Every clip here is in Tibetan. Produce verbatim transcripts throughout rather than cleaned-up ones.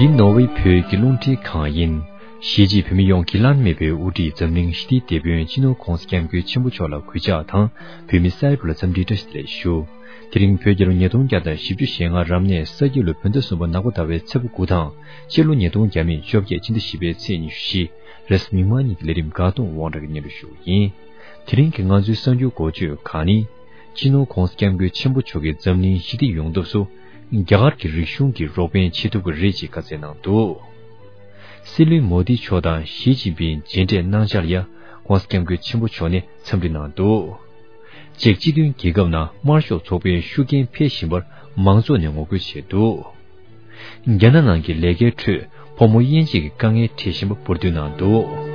འདི་ནོར་ཝེ་བོད་ཀྱི་རླུང་འཕྲིན་ཁང་ཡིན། གཞིས་བྱེས་བོད་མི་ཡོངས་ཀྱི་བླ་ན་མེད་པའི་དབུ་ཁྲིད་འཛམ་གླིང་ཞི་བདེའི་དེད་དཔོན་སྤྱི་ནོར་༧གོང་ས་༧སྐྱབས་མགོན་ཆེན་པོ་མཆོག་ལ་གུས་ཕྱག་དང་། བོད་མི་སེར་པོ་ལ་འཚམས་འདྲིའི་བཀྲ་ཤིས་བདེ་ལེགས་ཞུ། དེ་རིང་བོད་རྒྱལ་ལོ་ཉིས་སྟོང་བརྒྱ་དང་བཞི་བཅུ་ཞེ་ལྔ་རབ་གནས་ས་ཁྱི་ལོ་བོད་ཟླ་གསུམ་པ་ནག་པ་ཟླ་བའི་ཚེས་པ་དགུ་དང་། སྤྱི་ལོ་ཉིས་སྟོང་བརྒྱ་མེད་བཅོ་བརྒྱད་སྤྱི་ཟླ་བཞི་པའི་ཚེས་ཉི་ཤུ་བཞི། རེས་མིག་དམར་ཉིན་གྱི་ལས་རིམ་དགའ་གདོང་དབང་གྲགས་ཀྱིས་སྙན་སྒྲོན་ཞུ་བ་ཡིན། དེ་རིང་གི་ང་ཚོའི་གསར་འགྱུར་འགོ་བརྗོད་ཁག་ནི། སྤྱི་ནོར་༧གོང་ས་༧སྐྱབས་མགོན་ཆེན་པོ་མཆོག་གིས་འཛམ་གླིང་ཞི་བདེ་ཡོང་ཐབས་སུ། རྒྱ་གར་གྱི་རིག་གཞུང་གི་རོགས་ཕན་བྱེད་ཐུབ་ཀྱི་རེད་ཅེས་བཀའ་སྩལ་གནང་འདུག། སྲིད་བློན་མོ་དི་མཆོག་དང་ཞི་ཅིན་ཕིང་མཇལ་འཕྲད་གནང་འཆར་ལ་༧གོང་ས་༧སྐྱབས་མགོན་ཆེན་པོ་མཆོག་ནས་འཚམས་འདྲི་གནང་འདུག། ཅེཀ་སྤྱི་མཐུན་རྒྱལ་ཁབ་ནང་དམར་ཤོག་ཚོགས་པའི་ཤུགས་རྐྱེན་འཕེལ་བཞིན་པར་མང་ཚོགས་ནས་ངོ་རྒོལ་བྱས་འདུག། རྒྱ་ནག་ནང་གི་ལས་ཀའི་ཁྲོད་ཕོ་མོ་དབྱེ་འབྱེད་ཀྱི་དཀའ་ངལ་འཕྲད་བཞིན་པ་འབུར་འདོན་གནང་འདུག།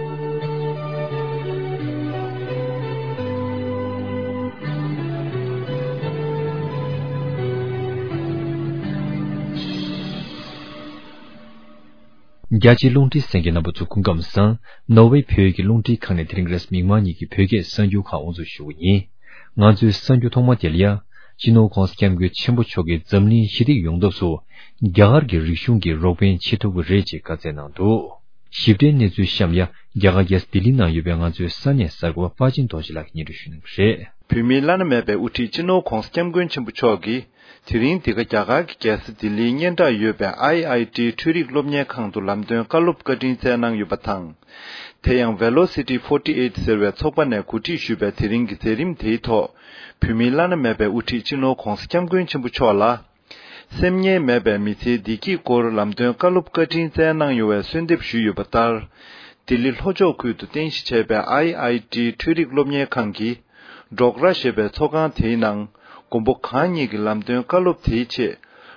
རྒྱ་ཆེའི་རླུང་འཕྲིན་གསན་མཁན་རྣམ་པ་ཚོ་སྐུ་ཁམས་བཟང་། ནོར་ཝེ་བོད་ཀྱི་རླུང་འཕྲིན་ཁང་ནས་དེ་རིང་རེས་མིག་དམར་ཉིན་གྱི་བོད་སྐད་གསར་འགྱུར་ཁག་དབུ་འཛུགས་ཞུ་གི་ཡིན། ང་ཚོའི་གསར་འགྱུར་ཐོག་མ་དེ་ལ་ཡ། སྤྱི་ནོར་༧གོང་ས་༧སྐྱབས་མགོན་ཆེན་པོ་མཆོག་གིས་འཛམ་གླིང་ཞི་བདེ་ཡོང་ཐབས་སུ། རྒྱ་གར་གྱི་རིག་གཞུང་གི་རོགས་ཕན་བྱེད་ཐུབ་ཀྱི་རེད་ཅེས་བཀའ་སྩལ་གནང་འདུག། ཞིབ་ཕྲའི་གནས་ཚུལ་གཤམ་ལ་ཡ། རྒྱ་གར་རྒྱལ་ས་ལྡི་ལི་ནང་ཡོད་པའི་ང་ཚོའི་ས་གནས་གསར་འགོད་པ་དཔའ་ཆེན་རྡོ་རྗེ་ལགས་ཀྱིས་སྙན་སྒྲོན་ཞུ་གནང་གི་རེད། བོད་མིའི་བླ་ན་མེད་པའི་དབུ་ཁྲིད་སྤྱི་ནོར་༧གོང་ས་༧སྐྱབས་མགོན་ཆེན་པོ་མཆོག་གིས། དེ་རིང་འདི་ག་རྒྱ་གར་གྱི་རྒྱལ་ས་ལྡི་ལིའི་སྙན་གྲགས་ཡོད་པའི་ཨའི་ཨའི་ཊི་འཕྲུལ་རིག་སློབ་གཉེར་ཁང་དུ་ལམ་སྟོན་བཀའ་སློབ་བཀའ་དྲིན་སྩལ་གནང་ཡོད་པ་དང་། དེ་ཡང་Velocity forty eight ཟེར་བའི་ཚོགས་པ་ནས་གོ་སྒྲིག་ཞུས་པའི་དེ་རིང་གི་མཛད་རིམ་དེའི་ཐོག་བོད་མིའི་བླ་ན་མེད་པའི་དབུ་ཁྲིད་སྤྱི་ནོར་༧གོང་ས་༧སྐྱབས་མགོན་ཆེན་པོ་མཆོག་ལ། སེམས་ངལ་མེད་པའི་མི་ཚེའི་བདེ་སྐྱིད་སྐོར་ལམ་སྟོན་བཀའ་སློབ་བཀའ་དྲིན་སྩལ་གནང་ཡོང་བའི་གསོལ་འདེབས་ཞུས་ཡོད་པ་ལྟར། ལྡི་ལི་ལྷོ་ཕྱོགས་ཁུལ་དུ་རྟེན་གཞི་བྱས་པའི་ཨའི་ཨའི་ཊི་འཕྲུལ་རིག་སློབ་གཉེར་ཁང་གི་ཌོག་ར་ཞེས་པའི་ཚོགས་ཁང་དེའི་ནང་མགོན་པོ་གང་ཉིད་ཀྱི་ལམ་སྟོན་བཀའ་སློབ་དེའི་ཆེད།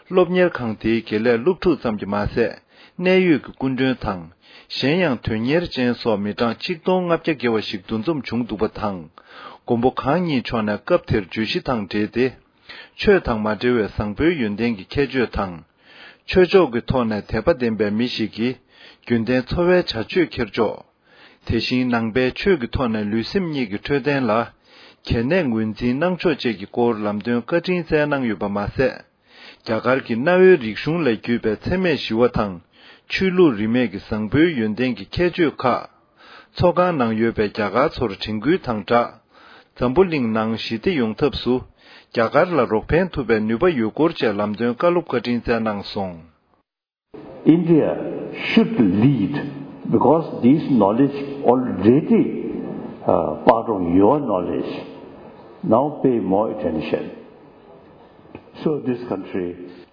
སློབ་གཉེར་ཁང་དེའི་དགེ་ལས་སློབ་ཕྲུག་ཙམ་གྱིས་མ་ཟད། གནད་ཡོད་ཀྱི་སྐུ་མགྲོན་དང་། གཞན་ཡང་དོན་གཉེར་ཅན་སོགས་མི་གྲངས་ཆིག་སྟོང་ལྔ་བརྒྱ་བརྒལ་བ་ཞིག་འདུ་འཛོམས་བྱུང་འདུག་པ་དང་། མགོན་པོ་གང་ཉིད་མཆོག་ནས་སྐབས་དེར་བརྗོད་གཞི་དང་འབྲེལ་ཏེ། ཆོས་དང་མ་འབྲེལ་བའི་བཟང་པོའི་ཡོན་ཏན་གྱི་ཁྱད་ཆོས་དང་། ཆོས་ཕྱོགས་ཀྱི་ཐོག་ནས་དད་པ་ལྡན་པའི་མི་ཞིག་གིས་རྒྱུན་ལྡན་འཚོ་བའི་བྱ་སྤྱོད་འཁྱེར་ཕྱོགས། དེ་བཞིན་ནང་པའི་ཆོས་ཀྱི་ཐོག་ནས་ལུས་སེམས་གཉིས་ཀྱི་འཕྲོད་བསྟེན་ལ་གལ་གནད་ངོས་འཛིན་གནང་ཕྱོགས་བཅས་ཀྱི་སྐོར་ལམ་སྟོན་བཀའ་དྲིན་སྩལ་གནང་ཡོད་པ་མ་ཟད། རྒྱ་གར་གྱི་གནའ་བོའི་རིག་གཞུང་ལས་བརྒྱུད་པའི་འཚེ་མེད་ཞི་བ་དང་། ཆོས་ལུགས་རིས་མེད་ཀྱི་བཟང་པོའི་ཡོན་ཏན་གྱི་ཁྱད་ཆོས་ཁག་ཚོགས་ཁང་ནང་ཡོད་པའི་རྒྱ་གར་ཚོར་དྲན་སྐུལ་དང་སྦྲགས། འཛམ་བུ་གླིང་ནང་ཞི་བདེ་ཡོང་ཐབས་སུ། རྒྱ་གར་ལ་རོགས་ཕན་ཐུབ་པའི་ནུས་པ་ཡོད་སྐོར་བཅས་ལམ་སྟོན་བཀའ་སློབ་བཀའ་དྲིན་སྩལ་གནང་སོང་། India should lead because this knowledge already uh, part of your knowledge. Now pay more attention. So this country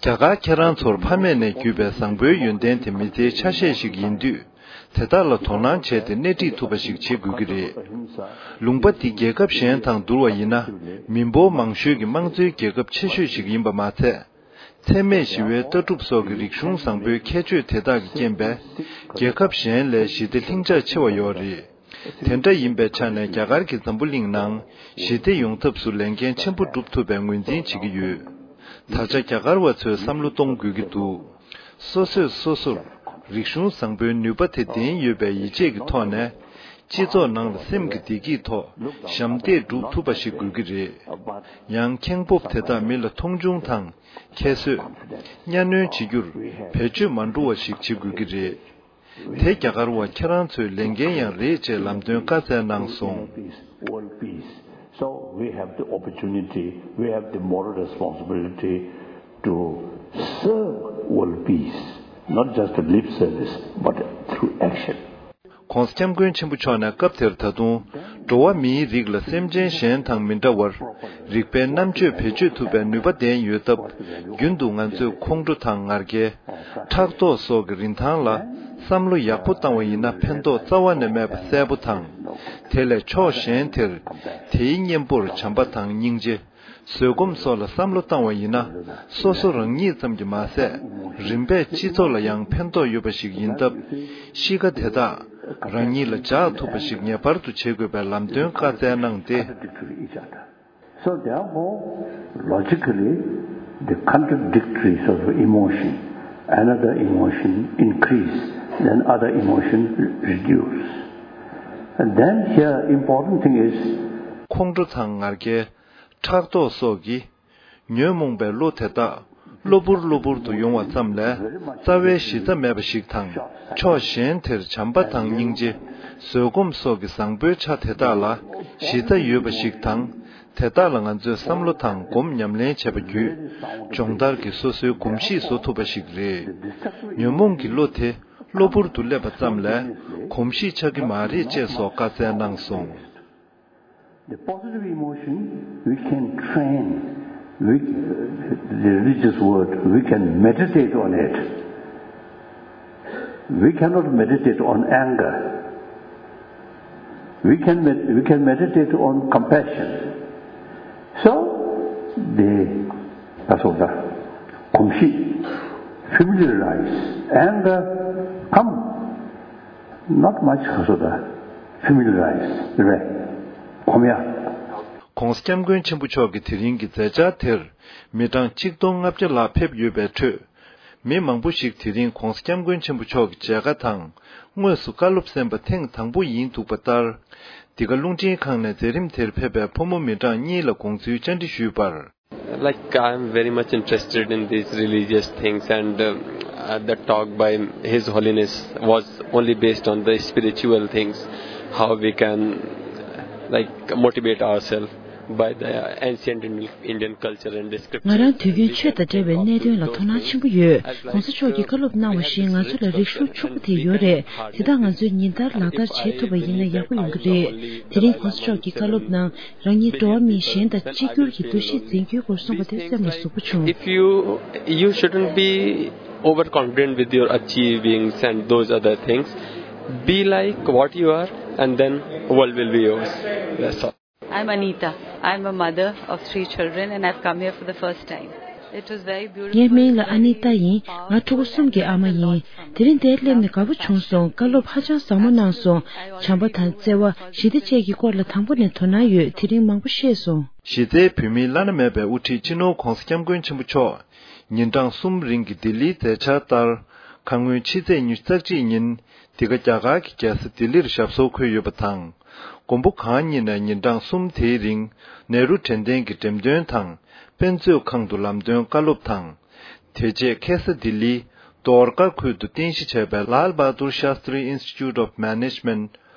རྒྱ་གར་ཁྱེད་རང་ཚོར་ཕ་མེས་ནས་བརྒྱུད་པའི་བཟང་པོའི་ཡོན་ཏན་དེ་མི་ཚེའི་ཆ་ཤས་ཤིག་ཡིན་དུས། དེ་དག་ལ་དོ་སྣང་བྱས་ཏེ་སྣེ་ཁྲིད་ཐུབ་པ་ཞིག་བྱེད་དགོས་ཀྱི་རེད། ལུང་པ་འདི་རྒྱལ་ཁབ་གཞན་དང་བསྡུར་བ་ཡིན་ན། མི་འབོར་མང་ཤོས་ཀྱི་དམངས་གཙོའི་རྒྱལ་ཁབ་ཆེ་ཤོས་ཤིག་ཡིན་པ་མ་ཚད། འཚེ་མེད་ཞི་བའི་ལྟ་གྲུབ་སོགས་ཀྱི་རིག་གཞུང་བཟང་པོའི་ཁྱད་ཆོས་དེ་དག་གི་རྐྱེན་པས། རྒྱལ་ཁབ་གཞན་ལས་ཞི་བདེ་ལྷིང་འཇགས་ཆེ་བ་ཡོད་རེད། དེ་འདྲ་ཡིན་པའི་ཆ་ནས་རྒྱ་གར་གྱིས་འཛམ་བུ་གླིང་ནང་ཞི་བདེ་ཡོང་ཐབས་སུ་ལས་འགན་ཆེན་པོ་སྒྲུབ་ཐུབ་པའི་ངོས་འཛིན་བྱེད་ཀྱི་ཡོད། ད་ཆ་རྒྱ་གར་བ་ཚོས་བསམ་བློ་གཏོང་དགོས་ཀྱི་འདུག། སོ་སོས་སོ་སོར་རིག་གཞུང་བཟང་པོའི་ནུས་པ་དེ་ལྡན་ཡོད་པའི་ཡིད་ཆེས་ཀྱི་ཐོག་ནས། སྤྱི་ཚོགས་ནང་ལ་སེམས་ཀྱི་བདེ་སྐྱིད་ཐོག་ཞབས་འདེགས་སྒྲུབ་ཐུབ་པ་ཞིག་དགོས་ཀྱི་རེད། ཡང་ཁེངས་སྤོབས་དེ་དག་མི་ལ་མཐོང་ཆུང་དང་། ཁྱད་གསོད། གཉའ་གནོན་བྱེད་རྒྱུར་བེད་སྤྱོད་མ་འགྲོ་བ་ཞིག་བྱེད་དགོས་ཀྱི་རེད། དེ་རྒྱ་གར་བ་ཁྱེད་རང་ཚོའི་ལས་འགན་ཡང་རེད་ཅེས་ལམ་སྟོན་བཀའ་སྩལ་གནང་སོང་། World peace. So we have the opportunity, we have the moral responsibility to serve world peace, not just a lip service, but through action. ༧གོང་ས་༧སྐྱབས་མགོན་ཆེན་པོ་མཆོག་ནས་སྐབས་དེར་ད་དུང་། འགྲོ་བ་མིའི་རིགས་ལ་སེམས་ཅན་གཞན་དང་མི་འདྲ་བར། རིག་པའི་རྣམ་དཔྱོད་བེད་སྤྱོད་ཐུབ་པའི་ནུས་པ་ལྡན་ཡོད་སྟབས། རྒྱུན་དུ་ང་ཚོས་ཁོང་ཁྲོ་དང་ངར་སྐད། ཕྲག་དོག་སོགས་ཀྱི་རིན་ཐང་ལ་བསམ་བློ་ཡག་པོ་བཏང་བ་ཡིན་ན་ཕན་ཐོགས་རྩ་བ་ནས་མེད་པ་གསལ་པོ་དང་། དེ་ལས་ཕྱོགས་གཞན་དེར་དེའི་གཉེན་པོར་བྱམས་པ་དང་སྙིང་རྗེ། བཟོད་སྒོམ་སོགས་ལ་བསམ་བློ་བཏང་བ་ཡིན་ན། སོ་སོ་རང་ཉིད་ཙམ་གྱིས་མ་ཟད། རིམ་པས་སྤྱི་ཚོགས་ལ་ཡང་ཕན་ཐོགས་ཡོད་པ་ཞིག་ཡིན་སྟབས། གཤིས་ཀ་དེ་དག་རང་ཉིད་ལ་འཇགས་ཐུབ་པ་ཞིག་ངེས་པར་དུ་བྱེད་དགོས་པའི་ལམ་སྟོན་བཀའ་སྩལ་གནང་སྟེ། So therefore, logically, the contradictories of emotion, another emotion increase, then other emotion reduce. And then here, important thing is, ཁོང་ཁྲོ་དང་ངར་སྐད། ཕྲག་དོག་སོགས་ཀྱིས། ཉོན་མོངས་པའི་བློ་དེ་དག་གློ་བུར་གློ་བུར་དུ་ཡོང་བ་ཙམ་ལས་རྩ་བའི་གཞི་རྩ་མེད་པ་ཞིག་དང་། ཕྱོགས་གཞན་དེར་བྱམས་པ་དང་སྙིང་རྗེ། བཟོད་སྒོམ་སོགས་ཀྱི་བཟང་པོའི་ཆ་དེ་དག་ལ་གཞི་རྩ་ཡོད་པ་ཞིག་དང་། དེ་དག་ལ་ང་ཚོས་བསམ་བློ་དང་སྒོམ་ཉམས་ལེན་བྱས་པ་བརྒྱུད། སྦྱོང་བརྡར་གྱིས་སོ་སོའི་གོམས་གཤིས་བཟོ་ཐུབ་པ་ཞིག་རེད། ཉོན་མོངས་ཀྱི་བློ་དེ་གློ་བུར་དུ་སླེབས་པ་ཙམ་ལས་གོམས་གཤིས་ཆགས་ཀྱི་མ་རེད་ཅེས་སོགས་བཀའ་སྩལ་གནང་སོང་། The positive emotion, we can train, we, the religious word, we can meditate on it. We cannot meditate on anger. We can med- we can meditate on compassion. So, the, that's all the, གོམས་གཤིས། familiarize, anger, come, not much, so the, familiarize, right? གོམས་ཡ། ྋགོང་ས་ྋསྐྱབས་མགོན་ཆེན་པོ་མཆོག་གི་དེ་རིང་གི་མཛད་འཆར་དེར་མི་གྲངས་གཅིག་སྟོང་ལྔ་བརྒྱ་ལྷག་ཕེབས་ཡོད་པའི་ཁྲོད། མི་མང་པོ་ཞིག་དེ་རིང་ྋགོང་ས་ྋསྐྱབས་མགོན་ཆེན་པོ་མཆོག་གི་མཇལ་ཁ་དང་དངོས་སུ་བཀའ་སློབ་གསན་པ་ཐེངས་དང་པོ་ཡིན་འདུག་པ་ལྟར། འདི་ག་རླུང་འཕྲིན་ཁང་ནས་མཛད་རིམ་དེར་ཕེབས་པའི་ཕོ་མོ་མི་གྲངས་གཉིས་ལ་དགོངས་ཚུལ་བཅར་འདྲི་ཞུས་པར། Like, I am very much interested in these religious things, and um, uh, the talk by His Holiness was only based on the spiritual things, how we can, like, motivate ourselves by the ancient Indian, Indian culture and scripture. ང་རང་དུས་རྒྱུན་ཆོས་དང་འབྲེལ་བའི་གནད་དོན་ལ་དོ་སྣང་ཆེན་པོ་ཡོད། ྋགོང་ས་མཆོག་གིས་བཀའ་སློབ་གནང་བ་བཞིན་ང་ཚོ་ལ་རིག་གཞུང་ཕྱུག་པོ་དེ་ཡོད་རེད། དེ་དག་ང་ཚོས་ཉིན་ལྟར་ལག་བསྟར་བྱེད་ཐུབ་པ་ཡིན་ན་ཡག་པོ་ཡོང་གི་རེད། དེ་རིང་ྋགོང་ས་མཆོག་གིས་བཀའ་སློབ་གནང་། རང་ཉིད་འགྲོ་བ་མི་གཞན་དང་གཅིག་གྱུར་གྱི་འདུ་ཤེས་འཛིན་རྒྱུའི་སྐོར་གསུངས་པ་དེ་སེམས་ལ་ཟུག་པོ་བྱུང་། If you, you shouldn't be overconfident with your achievings and those other things. Be like what you are, and then world will be yours. That's all. I'm Anita. I'm a mother of three children, and I've come here for the first time. It was very beautiful. ངའི་མིང་ལ་ཨ་ནི་ཏཱ་ཡིན། ང་ཕྲུ་གུ་གསུམ་གྱི་ཨ་མ་ཡིན། དེ་རིང་འདིར་སླེབས་ནས་དགའ་པོ་བྱུང་སོང་། བཀའ་སློབ་ཧ་ཅང་བཟང་པོ་གནང་སོང་། བྱམས་པ་དང་བརྩེ་བ། ཞི་བདེ་བཅས་ཀྱི་སྐོར་ལ་དང་པོ་ནས་དོ་སྣང་ཡོད། དེ་རིང་མང་པོ་ཤེས་སོང་། གཞི་རྩའི་བོད་མིའི་བླ་ན་མེད་པའི་དབུ་ཁྲིད་སྤྱི་ནོར་༧གོང་ས་༧སྐྱབས་མགོན་ཆེན་པོ་མཆོག་ཉིན་གྲངས་གསུམ་རིང་གི་ལྡི་ལིའི་མཛད་འཆར་ལྟར། ཁ་སྔོན་ཕྱི་ཚེས་ཉི་ཤུ་རྩ་གཅིག་ཉིན་འདི་ག་རྒྱ་གར་གྱི་རྒྱལ་ས་ལྡི་ལིར་ཞབས་སོར་འཁོད་ཡོད་པ་དང་། མགོན་པོ་གང་ཉིད་ནས་ཉིན་གྲངས་གསུམ་དེའི་རིང་ནེ་རུ་དྲན་རྟེན་གྱི་འགྲེམས་སྟོན་དང་། དཔེ་མཛོད་ཁང་དུ་ལམ་སྟོན་བཀའ་སློབ་དང་། དེ་རྗེས་ཁེ་ས་ལྡི་ལིའི་དོར་ཀ་ཁུལ་དུ་རྟེན་གཞི་བྱས་པའི་Lal Bahadur Shastri Institute of Management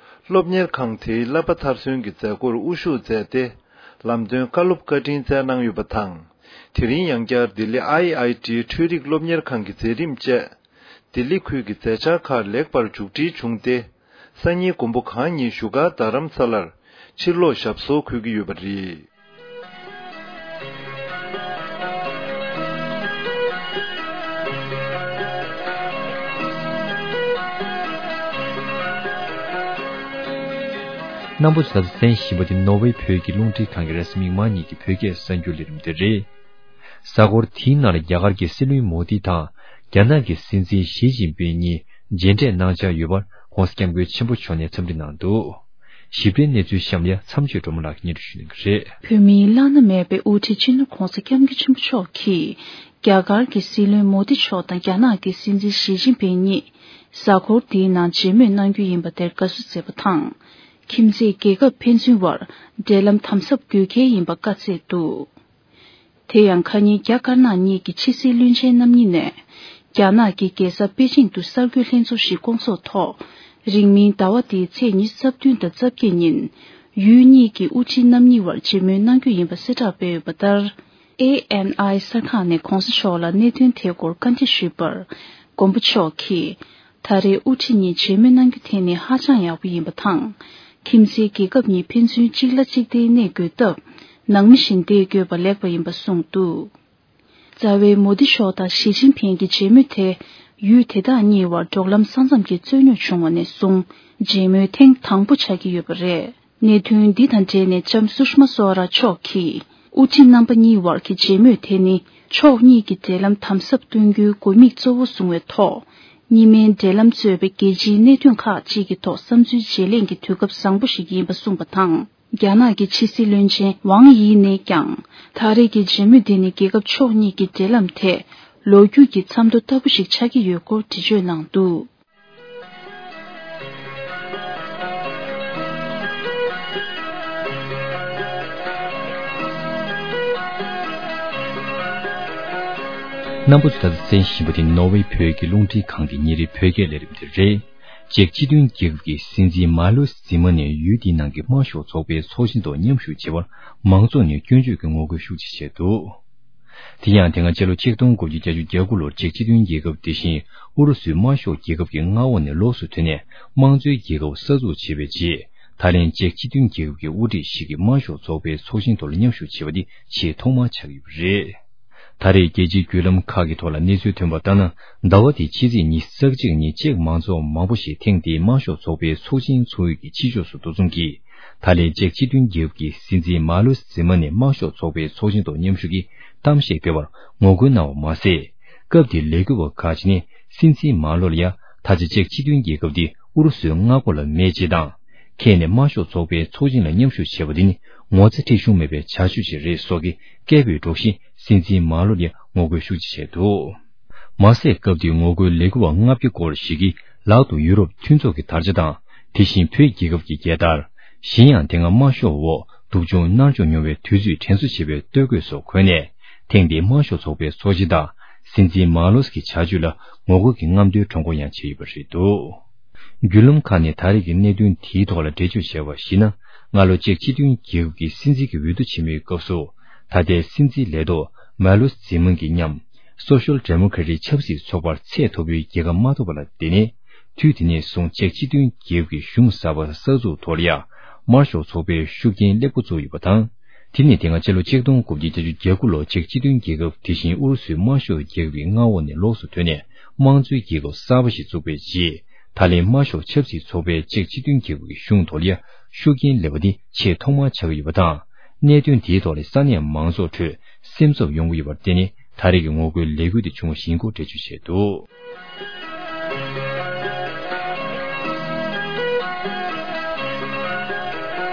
སློབ་གཉེར་ཁང་དེའི་བསླབ་པ་མཐར་སོན་གྱི་མཛད་སྒོར་དབུ་བཞུགས་མཛད་དེ། ལམ་སྟོན་བཀའ་སློབ་བཀའ་དྲིན་སྩལ་གནང་ཡོད་པ་དང་། དེ་རིང་ཡང་བསྐྱར་ལྡི་ལི་ཨའི་ཨའི་ཊི་འཕྲུལ་རིག་སློབ་གཉེར་ཁང་གི་མཛད་རིམ་བཅས། ལྡི་ལི་ཁུལ་གྱི་མཛད་འཆར་ཁག་ལེགས་པར་མཇུག་སྒྲིལ་བྱུང་སྟེ། སང་ཉིན་མགོན་པོ་གང་ཉིད་བཞུགས་སྒར་རྡ་རམ་ས་ལར་ཕྱིར་ལོག་ཞབས་སོར་འཁོད་ཀྱི་ཡོད་པ་རེད། རྣམ་པ་ཚོ་ད་ལྟ་གསན་བཞིན་པ་དེ་ནོར་ཝེ་བོད་ཀྱི་རླུང་འཕྲིན་ཁང་གི་རེས་གཟའ་མིག་དམར་ཉིན་གྱི་བོད་སྐད་གསར་འགྱུར་ལས་རིམ་དེ་རེད། གཟའ་འཁོར་དེའི་ནང་ལ་རྒྱ་གར་གྱི་སྲིད་བློན་མོ་དི་དང་རྒྱ་ནག་གི་སྲིད་འཛིན་ཞི་ཅིན་ཕིང་གཉིས་མཇལ་འཕྲད་གནང་འཆར་ཡོད་པར་༧གོང་ས་༧སྐྱབས་མགོན་ཆེན་པོ་མཆོག་ནས་འཚམས་འདྲི་གནང་འདུག་ཞིབ་ཕྲའི་གནས་ཚུལ་གཤམ་ལ་མཚམས་གཅོད་སྒྲོལ་མ་ལགས་ཀྱིས་སྙན་སྒྲོན་ཞུ་གནང་གི་རེད། བོད་མིའི་བླ་ན་མེད་པའི་དབུ་ཁྲིད་སྤྱི་ནོར་༧གོང་ས་༧སྐྱབས་མགོན་ཆེན་པོ་མཆོག་གིས་རྒྱ་གར་གྱི་སྲིད་བློན་མོ་དི་མཆོག་དང་རྒྱ་ནག་གི་སྲིད་འཛིན་ཞི་ཅིན་ཕིང་གཉིས་གཟའ་འཁོར་འདིའི་ནང་མཇལ་མོལ་གནང་རྒྱུ་ཡིན་པ་དེར་དགའ་བསུ་མཛད་པ་དང་། ཁྱིམ་མཚེས་རྒྱལ་ཁབ་ཕན་ཚུན་བར་འབྲེལ་ལམ་དམ་ཟབ་དགོས་གལ་ཡིན་པ་བཀའ་སྩལ་འདུག་དེ་ཡང་ཁ་ཉིན་རྒྱ་དཀར་ནག་གཉིས་ཀྱི་ཕྱི་སྲིད་བློན་ཆེན་རྣམ་གཉིས་ནས་རྒྱ་ནག་གི་རྒྱལ་ས་པེ་ཅིང་དུ་གསར་འགོད་ལྷན་ཚོགས་ཤིག་བསྐོང་ཚོགས་ཐོག་རིང་མིན་ཟླ་བ་འདིའི་ཚེས་ཉི་ཤུ་རྩ་བདུན་དང་རྩ་བརྒྱད་ཉིན་ཡུལ་གཉིས་ཀྱི་དབུ་ཁྲིད་རྣམ་གཉིས་བར་མཇལ་མོལ་གནང་རྒྱུ་ཡིན་པ་གསལ་བསྒྲགས་སྤེལ་ཡོད་པ་ལྟར། ཨེ་ཨེན་ཨའི་གསར་ཁང་ནས་༧གོང་ས་མཆོག་ལ་གནད་དོན་དེའི་སྐོར་བཀའ་འདྲི་ཞུས་པར། མགོན་པོ་མཆོག་གིས། ད་རེས་དབུ་ཁྲིད་གཉིས་མཇལ་མོལ་གནང་རྒྱུ་དེ་ནི་ཧ་ཅང་ཡག་པོ་ཡིན་པ་དང་། ཁྱིམ་མཚེས་རྒྱལ་ཁབ་གཉིས་ཕན་ཚུན་གཅིག་ལ་གཅིག་བརྟེན་གནས་དགོས་སྟབས། ནང་མི་བཞིན་བསྡད་དགོས་པ་ལེགས་པ་ཡིན་པ་གསུངས་འདུག་རྩ་བའི་མོ་དི་མཆོག་དང་ཞི་ཅིན་ཕིང་གི་མཇལ་མོལ་དེ། ཡུལ་དེ་དག་གཉིས་བར་འབྲོག་ལམ་ས་མཚམས་ཀྱི་རྩོད་རྙོག་བྱུང་བ་ནས་བཟུང་། མཇལ་མོལ་ཐེངས་དང་པོ་ཆགས་ཀྱི་ཡོད་པ་རེད། གནད་དོན་འདི་དང་འབྲེལ་ནས་ལྕམ་སུཤ་མ་སོ་ར་མཆོག་གིས། དབུ་ཁྲིད་རྣམ་པ་གཉིས་བར་གྱི་མཇལ་མོལ་དེ་ནི། ཕྱོགས་གཉིས་ཀྱི་འབྲེལ་ལམ་དམ་ཟབ་གཏོང་རྒྱུའི་དགོས་དམིགས་གཙོ་བོ་བཟུང་བའི་ཐོག་གཉིས་སྨན་འབྲེལ་ལམ་གཙོས་པའི་རྒྱལ་སྤྱིའི་གནད་དོན་ཁག་ཅིག་གི་ཐོག་བསམ་ཚུལ་བརྗེ་ལེན་གྱི་དུས་སྐབས་བཟང་པོ་ཞིག་ཡིན་པ་གསུངས་པ་དང་། རྒྱ་ནག་གི་ཕྱི་སྲིད་བློན་ཆེན་ཝང་དབྱི་ནས་ཀྱང་། ད་རེས་ཀྱི་མཇལ་མོལ་འདི་ནི་རྒྱལ་ཁབ་ཕྱོགས་གཉིས་ཀྱི་འབྲེལ་ལམ་ཐད་ལོ་རྒྱུས་ཀྱི་མཚམས་ཐོ་ལྟ་བུ་ཞིག་ཆགས་ཀྱི་ཡོད་སྐོར་འགྲེལ་བརྗོད་གནང་འདུག་རྣམ་པ་ཚོས་ད་ལྟ་གསན་བཞིན་པ་དེ་ནོར་ཝེ་བོད་ཀྱི་རླུང་འཕྲིན་ཁང་གི་ཉིན་རེའི་བོད་སྐད་ལས་རིམ་དེ་རེད། ཅེཀ་སྤྱི་མཐུན་རྒྱལ་ཁབ་ཀྱི་སྲིད་འཛིན་མཱ་ལོས་ཛི་མ་ནས་ཡུལ་དེའི་ནང་གི་དམར་ཤོག་ཚོགས་པའི་ཚོགས་ཆེན་ཐོག་མཉམ་ཞུགས་བྱེད་པར་མང་ཚོགས་ནས་སྐྱོན་བརྗོད་ཀྱི་ངོ་རྒོལ་ཤུགས་ཆེ་བྱས་འདུག་དེ་ཡང་དེ་སྔ་ཕྱི་ལོ་ཆིག་སྟོང་དགུ་བརྒྱ་བརྒྱད་ཅུ་གྱ་དགུ་ལོར་ཅེཀ་སྤྱི་མཐུན་རྒྱལ་ཁབ་དེ་བཞིན་ཨུ་རུ་སུའི་དམར་ཤོག་རྒྱལ་ཁབ་ཀྱི་མངའ་འོག་ནས་ལོགས་སུ་ཐོན་ནས་དམངས་གཙོའི་རྒྱལ་ཁབ་གསར་འཛུགས་བྱས་པའི་རྗེས། ད་ལན་ཅེཀ་སྤྱི་མཐུན་རྒྱལ་ཁབ་ཀྱི་དབུ་ཁྲིད་ཞིག་གིས་དམར་ཤོག་ཚོགས་པའི་ཚོགས་ཆེན་ཐོག་ལ་མཉམ་ཞུགས་བྱས་པ་འདི་ཆེས་ཐོག་མར་ཆགས་ཡོད་པ་རེད། ད་རེས་རྒྱལ་སྤྱིའི་བརྒྱུད་ལམ་ཁག་གི་ཐོག་ལ་གནས་ཚུལ་ཐོན་པ་ལྟར་ན། ཟླ་བ་འདིའི་ཕྱི་ཚེས་ཉི་ཤུ་རྩ་གཅིག་ཉིན་ཅེཀ་མང་ཚོགས་མང་པོ་ཞིག་ཐེངས་འདིའི་དམར་ཤོག་ཚོགས་པའི་ཚོགས་ཆེན་ཚོགས་ཡུལ་གྱི་ཕྱི་ཕྱོགས་སུ་འདུ་འཛོམས་ཀྱིས། ད་ལན་ཅེཀ་སྤྱི་མཐུན་རྒྱལ་ཁབ་ཀྱི་སྲིད་འཛིན་མཱ་ལོས་ཛི་མ་ནས་དམར་ཤོག་ཚོགས་པའི་ཚོགས་ཆེན་ཐོག་མཉམ་ཞུགས་ཀྱིས་གཏམ་བཤད་སྤེལ་བར་ངོ་རྒོལ་གནང་བ་མ་ཟད། སྐབས་དེའི་ལས་འགུལ་བ་ཁག་ཅིག་ནས་སྲིད་འཛིན་མཱ་ལོ་ལ་ཡང་ད་ཆ་ཅེཀ་སྤྱི་མཐུན་རྒྱལ་ཁབ་འདི་ཨུ་རུ་སུའི་མངའ་ཁོངས་ལ་མེད་ཅེས་དང་། ཁྱེད་ནས་དམར་ཤོག་ཚོགས་པའི་ཚོགས་ཆེན་ལ་མཉམ་ཞུགས་བྱས་པ་འདི་ནི་ངོ་ཚ་ཁྲེལ་གཞུང་མེད་པའི་བྱ་སྤྱོད་ཅིག་རེད་སོགས་ཀྱི་སྐད་འབོད་སྒྲོག་བཞིན་སྲིད་འཛིན་མཱ་ལོ་ལ་ངོ་རྒོལ་ཤུགས་ཆེ་བྱས་འདུག་མ་ཟད་སྐབས་དེའི་ངོ་རྒོལ་ལས་འགུལ་བ་ལྔ་བརྒྱ་སྐོར་ཞིག་གིས་ལག་ཏུ་ཡུ་རོབ་མཐུན་ཚོགས་ཀྱི་དར་ཆ་དང་། དེ་བཞིན་བོད་རྒྱལ་ཁབ་ཀྱི་རྒྱལ་དར། གཞན་ཡང་དེ་སྔ་དམར་ཤོག་འོག་སྡུག་སྦྱོང་མནར་གཅོད་མྱོང་བའི་དུས་ཚོད་དྲན་གསོ་བྱེད་པའི་སྟོད་གོས་སོགས་གོན་ནས། ཐེངས་འདིའི་དམར་ཤོག་ཚོགས་པའི་ཚོགས་ཆེན་དང་། སྲིད་འཛིན་མཱ་ལོས་ཀྱི་བྱ་སྤྱོད་ལ་ངོ་རྒོལ་གྱི་རྔམ་སྟོན་ཁྲོམ་སྐོར་ཡང་བྱས་ཡོད་པ་རེད་འདུག་བརྒྱུད་ལམ་ཁག་ནས་ད་རེས་ཀྱི་གནད་དོན་དེའི་ཐོག་ལ་འགྲེལ་བརྗོད་བྱས་པར་གཞིགས་ན། སྔ་ལོ་ཅེཀ་སྤྱི་མཐུན་རྒྱལ་ཁབ་ཀྱི་སྲིད་འཛིན་གྱི་འོས་བསྡུ་ཆེན་མོའི་སྐབས་སུ། ད་ལྟའི་སྲིད་འཛིན་ལས་ཐོག་མཱ་ལོས་ཛི་མན་གྱི་མཉམ། སོ་ཤལ་ཌེ་མོ་ཀེ་རེ་ཊི་ཆབ་སྲིད་ཚོགས་པར་ཚད་མཐོ་པོའི་རྒྱལ་ཁ་མ་ཐོབ་པ་ལ་བརྟེན་ནས། དུས་དེ་ནས་བཟུང་ཅེཀ་སྤྱི་མཐུན་རྒྱལ་ཁབ་ཀྱི་གཞུང་གསར་པ་གསར་འཛུགས་ཐོག་ལ་ཡང་། དམར་ཤོག་ཚོགས་པའི་ཤུགས་རྐྱེན་སླེབས་འགོ་བཙུགས་ཡོད་པ་དང་། དེ་ནས་དེ་སྔ་ཕྱི་ལོ་ཆིག་སྟོང་དགུ་བརྒྱ་བརྒྱད་ཅུ་གྱ་དགུ་ལོར་ཅེཀ་སྤྱི་མཐུན་རྒྱལ་ཁབ་དེ་བཞིན་ཨུ་རུ་སུའི་དམར་ཤོག་རྒྱལ་ཁབ་ཀྱི་མངའ་འོག་ནས་ལོགས་སུ་ཐོན་ནས་དམངས་གཙོའི་རྒྱལ་ཁབ་གསར་པ་ཞིག་བཙུགས་པའི་རྗེས། ད་ལན་དམར་ཤོག་ཆབ་སྲིད་ཚོགས་པས་ཅེཀ་སྤྱི་མཐུན་རྒྱལ་ཁབ་ཀྱི་གཞུང་ཐོག་ལ་ཡང་ཤུགས་རྐྱེན་སླེབས་པ་འདི་ཆེས་ཐོག་མར་ཆགས་ཀྱི་ཡོད་པ་དང་། གནད་དོན་དེའི་ཐོག་ལ་ས་གནས་མང་ཚོགས་ཁྲོད་སེམས་འཚབ་ཡོང་གི་ཡོད་པར་བརྟེན་ནས། ད་རེས་ཀྱི་ངོ་རྒོལ་ལས་འགུལ་དེ་བྱུང་བ་ཡིན་སྐོར་འགྲེལ་བརྗོད་བྱས་འདུག་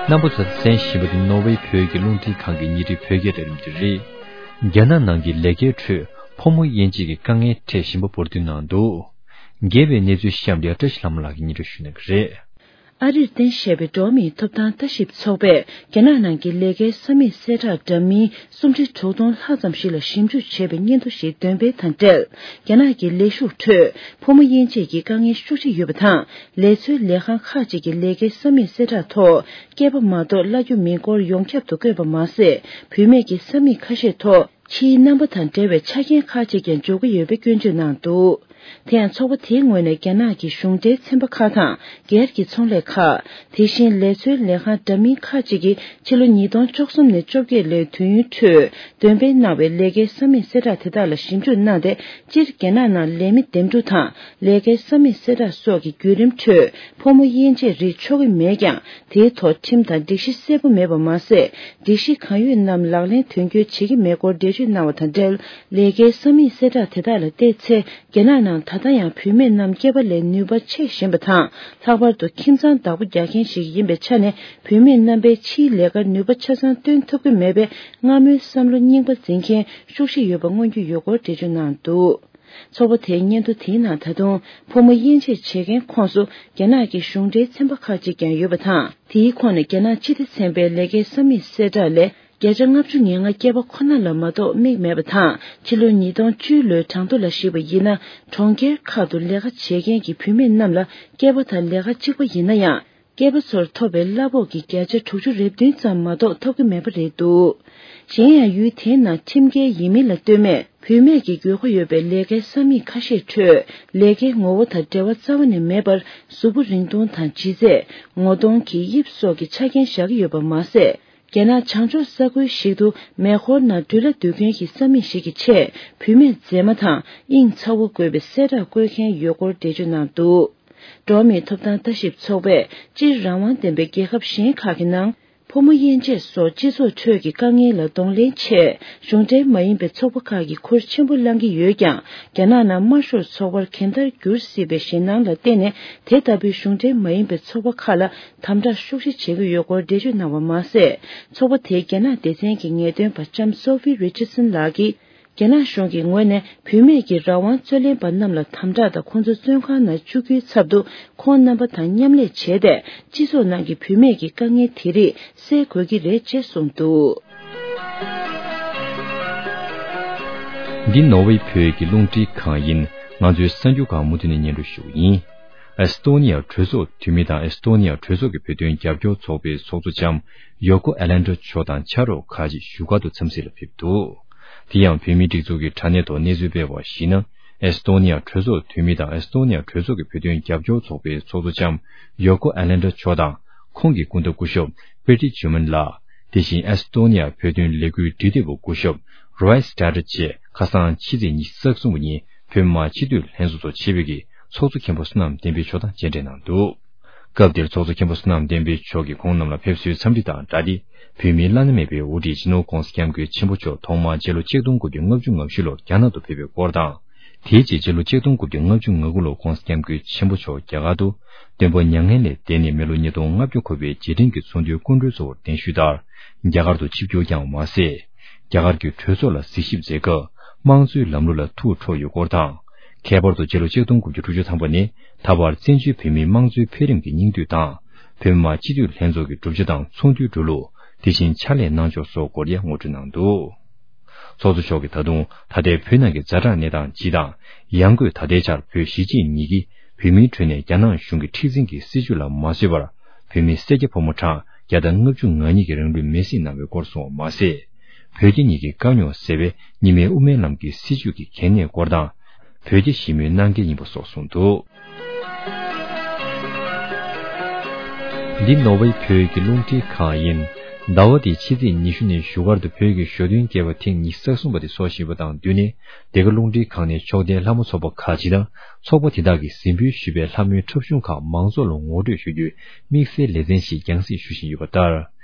རྣམ་པ་ཚོས་གསན་བཞིན་པ་འདི་ནོར་ཝེ་བོད་ཀྱི་རླུང་འཕྲིན་ཁང་གི་ཉིན་རེའི་བོད་སྐད་ལས་རིམ་དེ་རེད། རྒྱ་ནག་ནང་གི་ལས་ཀའི་ཁྲོད་ཕོ་མོ་དབྱེ་འབྱེད་ཀྱི་དཀའ་ངལ་འཕྲད་བཞིན་པ་འབུར་འདོན་གནང་འདུག་རྒྱས་པའི་གནས་ཚུལ་གཤམ་ལ་བཀྲ་ཤིས་ལྷ་མོ་ལགས་ཀྱིས་སྙན་སྒྲོན་ཞུ་གནང་གི་རེད། ཨ་རིར་རྟེན་གཞི་བྱས་པའི་འགྲོ་བ་མིའི་ཐོབ་ཐང་ལྟ་ཞིབ་ཚོགས་པས་རྒྱ་ནག་ནང་གི་ལས་ཀའི་ས་མིག་གསལ་བསྒྲགས་འདྲ་མིན་སུམ་ཁྲི་དྲུག་སྟོང་ལྷག་ཙམ་ཞིག་ལ་ཞིབ་འཇུག་བྱས་པའི་སྙན་ཐོ་ཞིག་འདོན་སྤེལ་དང་འབྲེལ། རྒྱ་ནག་གི་ལས་ཞུགས་ཁྲོད་ཕོ་མོ་དབྱེ་འབྱེད་ཀྱི་དཀའ་ངལ་ཤུགས་ཆེ་ཡོད་པ་དང་། ལས་འཚོལ་ལས་ཁང་ཁག་ཅིག་གི་ལས་ཀའི་ས་མིག་གསལ་བསྒྲགས་ཐོག་སྐྱེས་པ་མ་གཏོགས་གླ་རྒྱུ་མིན་སྐོར་ཡོངས་ཁྱབ་ཏུ་བཀོད་པ་མ་ཟད། བུད་མེད་ཀྱི་ས་མིག་ཁ་ཤས་ཐོག་ཕྱིའི་རྣམ་པ་དང་འབྲེལ་བའི་ཆ་རྐྱེན་ཁག་ཅིག་ཀྱང་འཇོག་གི་ཡོད་པའི་སྐྱོན་བརྗོད་གནང་འདུག་དེ་ཡང་ཚོགས་པ་དེའི་ངོས་ནས་རྒྱ་ནག་གི་གཞུང་འབྲེལ་ཚན་པ་ཁག་དང་སྒེར་གྱི་ཚོང་ལས་ཁག་དེ་བཞིན་ལས་འཚོལ་ལས་ཁང་འདྲ་མིན་ཁག་ཅིག་གིས་ཕྱི་ལོ་ཉིས་སྟོང་བཅུ་གསུམ་ནས་བཅོ་བརྒྱད་ལོའི་དུས་ཡུན་ཁྲོད་འདོན་སྤེལ་གནང་བའི་ལས་ཀའི་ས་མིག་གསལ་བསྒྲགས་དེ་དག་ལ་ཞིབ་འཇུག་གནང་སྟེ། སྤྱིར་རྒྱ་ནག་ནང་ལས་མི་འདེམས་སྒྲུག་དང་ལས་ཀའི་ས་མིག་གསལ་བསྒྲགས་སོགས་ཀྱི་བརྒྱུད་རིམ་ཁྲོད་ཕོ་མོ་དབྱེ་འབྱེད་རིགས་ཆོག་གི་མེད་ཀྱང་། དེའི་ཐོག་ཁྲིམས་དང་སྒྲིག་གཞི་གསལ་པོ་མེད་པ་མ་ཟད། སྒྲིག་གཞི་གང་ཡོད་རྣམས་ལག་ལེན་དོན་འཁྱོལ་བྱེད་ཀྱི་མེད་སྐོར་འགྲེལ་བརྗོད་གནང་བ་དང་འབྲེལ། ལས་ཀའི་ས་མིག་གསལ་བསྒྲགས་དེ་དག་ལ་བལྟས་ཚེ། རྒྱ་ནག་ནང་ད་ལྟ་ཡང་བུད་མེད་རྣམས་སྐྱེས་པ་ལས་ནུས་པ་ཆེ་བཞིན་པ་དང་། ལྷག་པར་དུ་ཁྱིམ་ཚང་བདག་པོ་རྒྱག་མཁན་ཞིག་ཡིན་པའི་ཆ་ནས། བུད་མེད་རྣམ་པས་ཕྱིའི་ལས་ཀར་ནུས་པ་ཆ་ཚང་བཏོན་ཐུབ་ཀྱི་མེད་པའི་སྔ་མོའི་བསམ་བློ་རྙིང་པ་འཛིན་མཁན་ཤུགས་ཆེ་ཡོད་པ་མངོན་རྒྱུ་ཡོད་སྐོར་འགྲེལ་བརྗོད་གནང་འདུག་ཚོགས་པ་དེའི་སྙན་ཐོ་དེའི་ནང་ད་དུང་ཕོ་མོ་དབྱེ་འབྱེད་བྱེད་མཁན་ཁོངས་སུ་རྒྱ་ནག་གི་གཞུང་འབྲེལ་ཚན་པ་ཁག་ཅིག་ཀྱང་ཡོད་པ་དང་། དེའི་ཁོངས་ནས་རྒྱ་ནག་སྤྱི་བདེ་ཚན་པའི་ལས་ཀའི་ས་མིག་གསལ་བསྒྲགས་ལས། བརྒྱ་ཆ་ལྔ་བཅུ་ང་ལྔ་སྐྱེས་པ་ཁོ་ན་ལ་མ་གཏོགས་མིག་མེད་པ་དང་། ཕྱི་ལོ་ཉིས་སྟོང་བཅུ་ལོའི་གྲངས་ཐོ་ལ་གཞིགས་པ་ཡིན་ན། གྲོང་ཁྱེར་ཁག་ཏུ་ལས་ཀ་བྱེད་མཁན་གྱི་བུད་མེད་རྣམས་ལ་སྐྱེས་པ་དང་ལས་ཀ་གཅིག་པ་ཡིན་ན་ཡང་། སྐྱེས་པ་ཚོར་ཐོབ་པའི་གླ་ཕོགས་ཀྱི་བརྒྱ་ཆ་དྲུག་ཅུ་རེ་བདུན་ཙམ་མ་གཏོགས་ཐོབ་ཀྱི་མེད་པ་རེད་འདུག་གཞན་ཡང་ཡུལ་དེའི་ནང་ཁྲིམས་འགལ་ཡིན་མིན་ལ་ལྟོས་མེད་བུད་མེད་ཀྱི་དགོས་མཁོ་ཡོད་པའི་ལས་ཀའི་ས་མིག་ཁ་ཤས་ཁྲོད་ལས་ཀའི་ངོ་བོ་དང་འབྲེལ་བ་རྩ་བ་ནས་མེད་པར་གཟུགས་པོ་རིང་ཐུང་དང་ལྗིད་ཚད། ངོ་གདོང་གི་དབྱིབས་སོགས་ཀྱི་ཆ་རྐྱེན་བཞག་གི་ཡོད་པ་མ་ཟད། རྒྱ་ནག་བྱང་ཕྱོགས་ས་ཁུལ་ཞིག་ཏུ་མེ་འཁོར་ནང་འགྲུལ་གླ་སྡོད་མཁན་གྱི་ས་མིག་ཞིག་གི་ཆེད་བུད་མེད་མཛེས་མ་དང་དབྱིངས་ཚ་བོ་དགོས་པའི་གསལ་བསྒྲགས་བཀོད་མཁན་ཡོད་སྐོར་འགྲེལ་བརྗོད་གནང་འདུག་འགྲོ་བ་མིའི་ཐོབ་ཐང་ལྟ་ཞིབ་ཚོགས་པས་སྤྱིར་རང་དབང་ལྡན་པའི་རྒྱལ་ཁབ་གཞན་ཁག་གི་ནང་ཕོ་མོ་དབྱེ་འབྱེད་སོགས་སྤྱི་ཚོགས་ཁྲོད་ཀྱི་དཀའ་ངལ་ལ་གདོང་ལེན་ཆེད་གཞུང་འབྲེལ་མ་ཡིན་པའི་ཚོགས་པ་ཁག་གིས་ཁུར་ཆེན་པོ་བླང་གི་ཡོད་ཀྱང་། རྒྱ་ནག་ནང་དམར་ཤོག་ཚོགས་པར་གང་ལྟར་འགྱུར་སྲིད་པའི་ཞེད་སྣང་ལ་བརྟེན་ནས། དེ་ལྟ་བུའི་གཞུང་འབྲེལ་མ་ཡིན་པའི་ཚོགས་པ་ཁག་ལ་དམ་དྲག་ཤུགས་ཆེ་བྱེད་ཀྱི་ཡོད་སྐོར་འགྲེལ་བརྗོད་གནང་བ་མ་ཟད། ཚོགས་པ་དེའི་རྒྱ་ནག་སྡེ་ཚན་གྱི་ངེས་སྟོན་པ་ལྕམ་སོ་ཕི་རི་ཅར་སན་ལགས་ཀྱིས། རྒྱ་ནག་གཞུང་གི་ངོས་ནས་བུད་མེད་ཀྱི་རང་དབང་རྩོད་ལེན་པ་རྣམས་ལ་དམ་དྲག་དང་ཁོང་ཚོ་བཙོན་ཁང་ནང་བཅུག་རྒྱུའི་ཚབ་ཏུ། ཁོང་རྣམ་པ་དང་མཉམ་ལས་བྱས་ཏེ། སྤྱི་ཚོགས་ནང་གི་བུད་མེད་ཀྱི་དཀའ་ངལ་དེ་རིགས་སེལ་དགོས་ཀྱི་རེད་ཅེས་གསུངས་འདུག་འདི་ནོར་ཝེ་བོད་ཀྱི་རླུང་འཕྲིན་ཁང་ཡིན། ང་ཚོའི་གསར་འགྱུར་ཁག་མུ་མཐུད་ནས་སྙན་སྒྲོན་ཞུ་གི་ཡིན། ཨེ་སི་ཏོ་ནི་ཡ་གྲོས་ཚོགས་འཐུས་མི་དང་ཨེ་སི་ཏོ་ནི་ཡ་གྲོས་ཚོགས་ཀྱི་བོད་དོན་རྒྱབ་སྐྱོར་ཚོགས་པའི་ཚོགས་གཙོ་ལྕམ་ཡོ་ཀོ་ཨེ་ལན་ཌ་མཆོག་དང་ཕྱག་རོགས་ཁག་ཅིག་བཞུགས་སྒར་དུ་འཚམས་གཟིགས་ལ་ཕེབས་འདུག། དེ་ཡང་བོད་མིའི་སྒྲིག་འཛུགས་ཀྱི་དྲ་གནས་ཐོག་གནས་ཚུལ་སྤེལ་བར་གཞིགས་ན། ཨེ་སི་ཏོ་ནི་ཡ་གྲོས་ཚོགས་འཐུས་མི་དང་ཨེ་སི་ཏོ་ནི་ཡ་གྲོས་ཚོགས་ཀྱི་བོད་དོན་རྒྱབ་སྐྱོར་ཚོགས་པའི་ཚོགས་གཙོ་ལྕམ་ཡོ་ཀོ་ཨེ་ལན་ཌ་མཆོག་དང་། ཁོང་གི་སྐུ་ཟླ་སྐུ་ཞབས་པེ་ཏི་ཇུ་མན་ལགས། དེ་བཞིན་ཨེ་སི་ཏོ་ནི་ཡ་བོད་དོན་ལས་འགུལ་འབྲེལ་མཐུད་པ་སྐུ་ཞབས་རོའི་སི་ཏྲ་ཏར་བཅས་ཁ་སང་ཕྱི་ཚེས་ཉི་ཤུ་རྩ་གསུམ་པ་ཉིན་བོད་མི་མང་སྤྱི་འཐུས་ལྷན་ཚོགས་ཚོགས་ཆེད་ཕེབས་ཀྱིས་ཚོགས་གཙོ་མཁན་པོ་བསོད་ནམས་བསྟན་འཕེལ་མཆོག་དང་མཇལ་འཕྲད་གནང་འདུག། སྐབས་དེར་ཚོགས་གཙོ་མཁན་པོ་བསོད་ནམས་བསྟན་འཕེལ་མཆོག་གིས་ཁོང་རྣམས་ལ་ཕེབས་བསུའི་འཚམས་འདྲི་དང་སྦྲགས་ཏེ། བོད་མིའི་བླ་ན་མེད་པའི་དབུ་ཁྲིད་སྤྱི་ནོར་༧གོང་ས་༧སྐྱབས་མགོན་ཆེན་པོ་མཆོག་ཐོག་མར་སྤྱི་ལོ་ཆིག་སྟོང་དགུ་བརྒྱ་ལྔ་བཅུ་ང་བཞི་ལོར་རྒྱ་ནག་ཏུ་ཕེབས་པའི་སྐོར་དང་། དེའི་རྗེས་སྤྱི་ལོ་ཆིག་སྟོང་དགུ་བརྒྱ་ལྔ་བཅུ་ང་དགུ་ལོར་༧གོང་ས་༧སྐྱབས་མགོན་ཆེན་པོ་མཆོག་རྒྱ་གར་དུ་སྟོན་པ་མྱ་ངན་ལས་འདས་ནས་མི་ལོ་ཉིས་སྟོང་ལྔ་བརྒྱ་འཁོར་བའི་རྗེས་དྲན་གྱི་ཚོགས་འདུའི་སྐུ་མགྲོན་གཙོ་བོར་གདན་ཞུས་ལྟར། རྒྱ་གར་དུ་ཆིབས་བསྒྱུར་བསྐྱངས་པ་མ་ཟད། རྒྱ་གར་གྱི་གྲོས་ཚོགས་ལ་གཟིགས་ཞིབ་མཛད་སྐབས་དམངས་གཙོའི་ལམ་ལུགས་ལ་ཐུགས་ཁྲོ་ཡོད་སྐོར་དང་། ཁྱད་པར་དུ་སྤྱི་ལོ་ཆིག་སྟོང་དགུ་བརྒྱ་དྲུག་ཅུ་ཐམ་པ་ནས་ད་བར་བཙན་བྱོལ་བོད་མིའི་དམངས་གཙོའི་འཕེལ་རིམ་གྱི་སྙིང་བསྡུས་དང་། བོད་མི་མང་སྤྱི་འཐུས་ལྷན་ཚོགས་ཀྱི་གྲུབ་ཆ་དང་ཚོགས་འདུའི་འགྲོ་ལུགས། དེ་བཞིན་ཕྱག་ལས་གནང་ཕྱོགས་སོགས་སྐོར་ཡང་ངོ་སྤྲོད་གནང་འདུག། ཚོགས་གཙོ་མཆོག་གིས་ད་དུང་ད་ལྟའི་བོད་ནང་གི་ཛ་དྲག་གནས་སྟངས་སྤྱི་དང་། ཡང་སྒོས་ད་ལྟའི་ཆར་བོད་གཞིས་བྱེས་གཉིས་ཀྱིས་བོད་མིའི་ཁྲོད་ནས་རྒྱ་ནག་གཞུང་གི་མཁྲེགས་འཛིན་གྱི་སྲིད་བྱུས་ལ་མ་བཟོད་པར། བོད་མི་སེར་སྐྱ་ཕོ་མོ་གྲངས་བརྒྱ་དང་ལྔ་བཅུ་ང་གཉིས་ཀྱིས་རང་ལུས་མེར་སྲེག་གནང་བའི་སྐོར་སོགས་མ་ཟད། བོད་རྒྱ་གཉིས་ཀྱི་དཀའ་རྙོག་སེལ་བའི་རྙིང་མའི་དབུ་མའི་ལམ་གྱི་སྲིད་བྱུས་ཀྱི་གལ་གནད་སྐོར་དང་། བོད་རྒྱ་ཞི་མོལ་གནང་གལ་ཡིན་པ་སོགས་གསུངས་འདུག། འདི་ནོར་ཝེ་བོད་ཀྱི་རླུང་འཕྲིན་ཁང་ཡིན། ཟླ་བ་འདིའི་ཕྱི་ཚེས་ཉི་ཤུ་ཉིན་བཞུགས་སྒར་དུ་བོད་ཀྱི་ཞོ་སྟོན་རྒྱས་པ་ཐེངས་ཉི་ཤུ་རྩ་གསུམ་པ་དེ་སྲོག་བཞིན་པ་དང་བསྟུན་ནས། འདི་ག་རླུང་འཕྲིན་ཁང་ནས་ཕྱོགས་མཐའི་ལྷ་མོ་ཚོགས་པ་ཁག་ཅིག་དང་ཚོགས་པ་དེ་དག་གིས་གཟིགས་འབུལ་ཞུས་པའི་ལྷ་མོའི་འཁྲབ་གཞུང་ཁག་མང་ཚོགས་ལ་ངོ་སྤྲོད་ཞུ་རྒྱུའི་དམིགས་བསལ་ལེ་ཚན་ཞིག་རྒྱང་སྲིང་ཞུ་བཞིན་ཡོད་པ་ལྟར།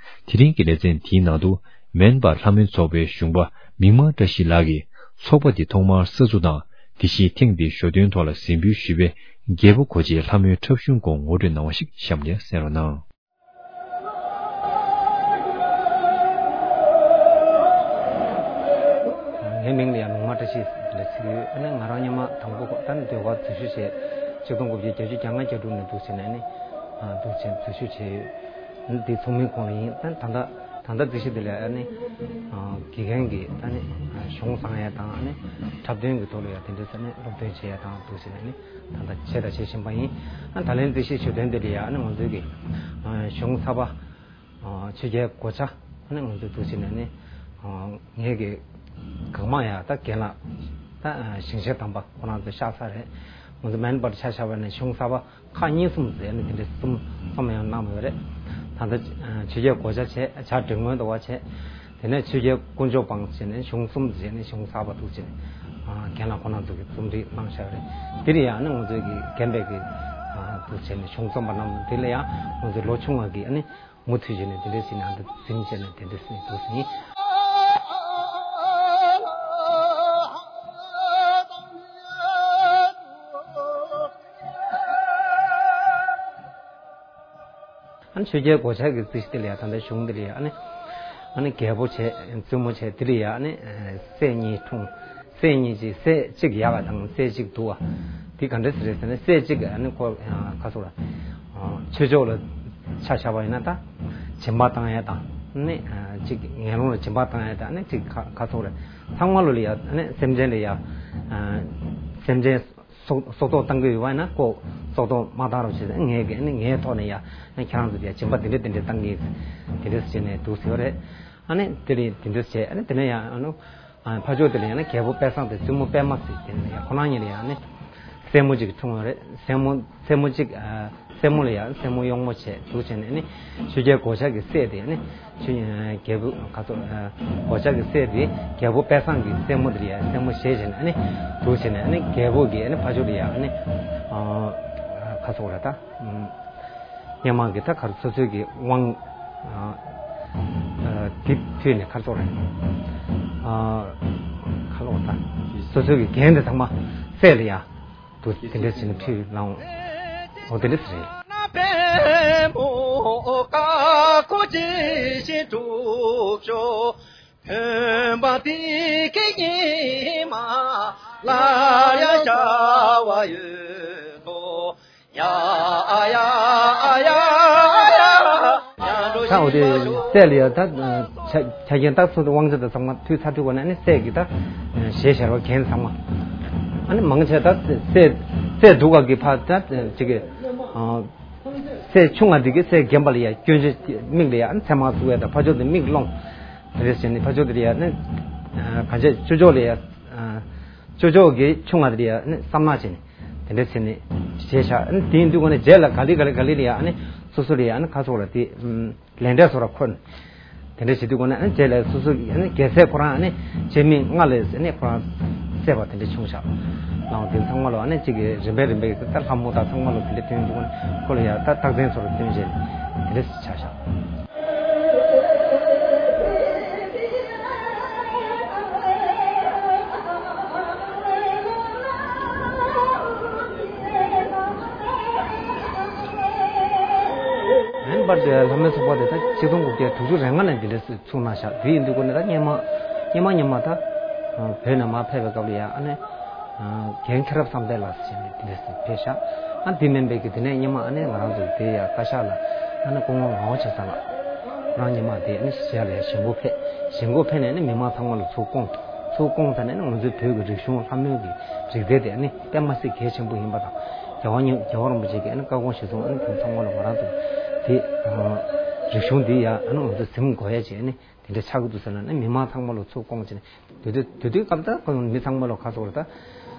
དེ་རིང་གི་ལེ་ཚན་དེའི་ནང་དུ། མེན་པར་ལྷ་མོའི་ཚོགས་པའི་གཞུང་པ་མིག་དམར་བཀྲ་ཤིས་ལགས་ཀྱིས་ཚོགས་པ་འདི་ཐོག་མར་གསར་འཛུགས་དང་། དེ་བཞིན་ཐེངས་འདིའི་ཞོ་སྟོན་ཐོག་ལ་གཟིགས་འབུལ་ཞུས་པའི་རྒྱལ་པོ་གོ་ཆའི་ལྷ་མོའི་འཁྲབ་གཞུང་སྐོར་ངོ་སྤྲོད་གནང་བ་ཞིག་གཤམ་ནས་གསན་རོགས་གནང་། ངའི་མིང་ལ་ཡང་མིག་དམར་བཀྲ་ཤིས་ལབ་ཟེར་གྱི་ཡོད། ཨ་ནི་ང་རང་སྔོན་མ་དང་པོ་ད་ནི་ཟློས་གར་འཛུལ་ཞུགས་བྱས། ཆིག་སྟོང་དགུ་བརྒྱ་བརྒྱད་ཅུ་གྱ་ལྔ་གྱ་དྲུག་ནས་འདུག་བྱས་ནས་ནི་འདུག་བྱས་འཛུལ་ཞུགས་བྱས་ཡོད། འདི་ཚོགས་མིའི་ཁོངས་ལ་ཡིན། ད་ད་ལྟ་ད་ལྟ་འཛུལ་ཞུགས་འདི་ལ་ཨ་ནི་དགེ་རྒན་གྱི་ད་ནི་གཞུང་བཟང་ཡས་དང་། ཨ་ནི་འཁྲབ་སྟོན་གྱི་ཐོག་ལ་ཡང་དེ་འདྲ་ཟེར་ནས་སློབ་སྟོན་བྱེད་ཡས་དང་འདུག་བྱས་ནས་ནི། ད་ལྟ་བྱས་དང་བྱེད་བཞིན་པ་ཡིན། ཨ་ད་ལན་འཛུལ་ཞུགས་ཞུ་དོན་དེ་ལ་ཡང་ཨ་ནི་ང་ཚོའི་གི་གཞུང་ཚགས་པ་ཆོས་རྒྱལ་གོ་ཆ་ཨ་ནི་ང་ཚོ་འདུག་བྱས་ནས་ནི་ངའི་གི་གང་མང་ཡང་ད་རྒན་ལགས་ད་ཞིང་གཤེགས་དམ་པ་ཁོ་རང་ཚོ་གཤེགས་ཚར་རེད། ང་ཚོ་མེན་པར་ཆ་བཞག་པ་ནས་གཞུང་ཚགས་པ་ཁག་གཉིས་གསུམ་ཟེར་ནས་དེ་འདྲའི་གསུམ་གསུམ་ཡང་གནང་ཡོད་རེད། ད་ལྟ་ཆོས་རྒྱལ་གོ་ཆ་བྱས། བྱ་བྲིན་སྔོན་དུ་བ་བྱས། དེ་ནས་ཆོས་རྒྱལ་དཀོན་མཆོག་དཔང་བྱས་ནས་གཞུང་གསུམ་བྱས་ནས་གཞུང་ཚགས་པ་འདུག་བྱས་ནས་རྒན་ལགས་ཁོ་རང་ཚོ་གི་རྩོམ་སྒྲིག་གནང་བཞག་རེད། དེ་ལ་ཡང་ནི་ང་ཚོའི་གི་རྒན་པའི་གི་འདུག་བྱས་ནས་གཞུང་རྩོམ་པ་རྣམས་དེ་ལ་ཡང་ང་ཚོའི་ལོ་ཆུང་བ་གི་ནི་མུ་མཐུད་བྱས་ནས་དེ་འདྲའི་བྱས་ནས་ཨ་འདི་འཛིན་བྱས་ནས་དེ་འདྲའི་སེམས་འདུག་ཟིན། ཨ་ནི་ཆོས་རྒྱལ་གོ་ཆ་གི་རྩིས་དེ་ལ་ཡ་ད་ལྟ་གཞུང་དེ་ལ་ཡ་ཨ་ནི་ཨ་ནི་རྒྱལ་པོ་བྱས། བཙུན་མོ་བྱས། དེ་ལ་ཡ་ཨ་ནི་སྲས་གཉིས་འཁྲུངས། སྲས་གཉིས་ཀྱི་སྲས་གཅིག་ཡག་ག་དང་སྲས་གཅིག་སྡུག་ག། དེ་ག་འདྲ་ཟེར་རེད་ཟེར་ན། སྲས་གཅིག་ཨ་ནི་ཁོ་ཁ་སོག་ལ་ཆོས་ཕྱོགས་ལ་ཆ་བཞག་པ་ཡིན་ན་ད་སྦྱིན་པ་བཏང་ཡ་དང་ནི་གཅིག་ངན་སློང་ལ་སྦྱིན་པ་བཏང་ཡ་དང་ནི་གཅིག་ཁ་ཁ་སོག་ལ་ཚང་མ་ལོ་ལ་ཡ་ཨ་ནི་སེམས་ཅན་ལ་ཡ་སེམས་ཅན་སྲོག་སྲོག་ཐོག་བཏང་གི་ཡོད་པ་ཡིན་ན་ཁོ་སྲོག་ཐོག་མ་བཏང་རོགས་བྱེད། ངས་ཀྱི་ཨ་ནི་ངའི་ཐོག་ནས་ཡ་ཨ་ནི་ཁྱེད་རང་ཚོ་ལ་ཡ་སྦྱིན་པ་འདི་འདྲ་འདི་འདྲ་བཏང་གི་འདི་འདྲ་བྱས་ནས་འདུག་ཟེར་བ་རེད། ཨ་ནི་དེ་ལས་དེ་འདྲ་བྱས། ཨ་ནི་དེ་ནས་ཡང་ཨ་ནི་ཕར་ཕྱོགས་དེ་ལ་ཡང་ན་རྒྱལ་པོ་དཔལ་བཟང་དང་བཙུན་མོ་པད་མ་ཟེར་དེ་ནས་ཡང་ཁོ་རང་གཉིས་ལ་ཡང་ནི་སྲས་མོ་གཅིག་འཁྲུངས་ཡོད་རེད། སྲས་མོ་སྲས་མོ་གཅིག་ཨ་སྲས་མོ་ལ་ཡང་སྲས་མོ་གཡོག་མོ་བྱས་འདུག་བྱས་ནས་ནི་ཆོས་རྒྱལ་གོ་ཆ་གི་སྲས་དེ་ནི་ཆོས་རྒྱལ་པོ་ག་ཚོད་ཨ་གོ་ཆ་གི་སྲས་དེ་རྒྱལ་པོ་དཔལ་བཟང་གི་སྲས་མོ་དེ་ལ་ཡང་སྲས་མོ་བྱས་བྱས་ནས་ནི་འདུག་བྱས་ནས་ནི་རྒྱལ་པོ་གི་ནི་ཕར་ཕྱོགས་ལ་ཡང་ནི་ཨ་ག་ཚོད་རེད་ད། སྔོན་མ་གི་ད་ག་རེ་སོ་སོའི་གི་དབང་ཨ་ཨ་དེ་ཕུལ་ནས་ག་རེ་ཟེར་དགོས་རེད། ཨ་ག་ལོག་ད་སོ་སོའི་གི་འགན་དེ་ཚང་མ་སྲས་ལ་ཡ་དུ་དེ་འདྲ་བྱས་ནས་ཕུལ་ལང་། འོ་དེ་འདྲ་ཟེར། ད་འོ་དེ་སྲས་ལ་ཡ་ད། ཆ་རྐྱེན་ད་སོ་སོའི་དབང་ཆ་དང་ཚང་མ་མཐུད་ཚར་དུས་ག་ནས་ཨ་ནི་སྲས་ཀྱི་ད་ཞལ་ཤར་བ་མཁན་ཚང་མ། ཨ་ནི་མང་ཆེ་ད་སྲས་སྲས་སྡུག་ག་གི་ཕ་ད་ཅིག་གི་སྲས་ཆུང་ང་འདི་གི་སྲས་རྒན་པ་ལ་ཡ་སྐྱོན་ཆ་མིག་ལ་ཡ་ཨ་ནི་མཚན་མ་བཙུགས་ཡ་ད་ཕ་ཕྱོགས་དེ་མིག་ལོང་། དེ་འདྲ་བྱས་ནས་ཕ་ཕྱོགས་དེ་ལ་ཡ་ཨ་ནི་ག་ཆ་ཅོ་ཅོ་ལ་ཡ་ཅོ་ཅོ་གི་ཆུང་ང་དེ་ལ་ཡ་ཨ་ནི་བསམ་ནག་བྱས་ནས་དེ་འདྲ་བྱས་ནས་རྗེས་ཆགས། ཨ་ནི་དེ་ཡིན་དུས་ག་ནས་རྗེས་ལ་ག་ལེ་ག་ལེ་ག་ལེ་ལ་ཡ་ཨ་ནི་སོ་སོ་ལ་ཡ་ཨ་ནི་ཁ་སོགས་ལ་དེ་ལས་འབྲས་སོགས་ལ་འཁོར་ནས། དེ་འདྲ་བྱེད་དུས་ཁོ་ན་ཨ་ནི་རྗེས་ལ་སོ་སོ་ཨ་ནི་རྒྱལ་སྲས་ཁོ་རང་ཨ་ནི་སྤྱན་མིག་ལྔ་ལས་ཨ་ནི་ཁོ་རང་སད་པ་དེ་འདྲ་བྱུང་ཤག་ལའང་དེ་ཚང་མ་ལོ་ཨ་ནི་གཅིག་གི་རིམ་པས་རིམ་པས་ཀྱི་ད་ལྷ་མོ་དང་ཚང་མ་ལོ་དེ་འདྲ་ཐོན་དུས་ཁོ་ན་ཁོ་ལ་ཡ་ད་རྟགས་མཚན་ཚོ་ལ་སྟོན་བྱས་དེ་འདྲ་ཆགས་ཤག་ཨན་པར་དེ་ལྷ་མོའི་ཚོགས་པ་དེ་ད་ཆིག་སྟོང་དགུ་བརྒྱ་དྲུག་ཅུ་རེ་ལྔ་ནས་འདི་འདྲ་ཚུགས་གནང་ཤག་དེ་ཡིན་དུས་ཁོ་ནས་ད་སྔོན་མ་སྔོན་མ་སྔོན་མ་ད་བོད་ནས་མར་ཕེབས་པའི་སྐབས་ལ་ཡ་ཨ་ནི་རྒན་མཁྱེན་རབ་བསམ་གཏན་ལགས་ཟེར་ནས་དེ་འདྲ་ཕེབས་ཤག་ཨ་དེ་མིན་པའི་གི་དེ་ནས་སྔོན་མ་ཨ་ནི་ང་རང་ཚོ་དེ་ཡ་བཀའ་ཤག་ལ་ཨ་ནི་སྐུ་ངོ་ངག་དབང་ཆོས་བཟང་ལགས་ཁོ་རང་སྔོན་མ་དེ་ཨ་ནི་གཞིས་ཆགས་ལ་ཡ་གཞིས་འགོ་ཕེབས། གཞིས་འགོ་ཕེབས་ནས་ཨ་ནི་མི་མང་ཚང་མ་ལ་ཚུར་བསྐོངས། ཚུར་བསྐོངས་ཚར་ནས་ཨ་ནི་ང་ཚོའི་བོད་ཀྱི་རིག་གཞུང་ལྷ་མོའི་གི་རིག་རྩལ་དེ་ཨ་ནི་དཔེ་མ་སྲིད་གལ་ཆེན་པོ་ཡིན་པ་དང་། རྒྱལ་བ་རྒྱལ་བ་རིན་པོ་ཆེ་གིས་ཨ་ནི་བཀའ་དགོངས་གཞིར་བཟུང་ཨ་ནི་དེ་ཚང་མ་ལ་ང་རང་ཚོ་དེ་རིག་གཞུང་འདི་ཡ་ཨ་ནི་ང་ཚོ་གཟིམ་དགོས་ཡ་བྱས་ཨ་ནི་དེ་འདྲ་ཆགས་ཀྱི་འདུག་ཟེར་ན་ཨ་ནི་མི་མང་ཚང་མ་ལ་ཚུར་བསྐོངས་བྱས་ནས་དེ་དུས་དེ་དུས་སྐབས་ད་ཁོ་མི་ཚང་མ་ལ་ག་ཚོད་རེད་ད་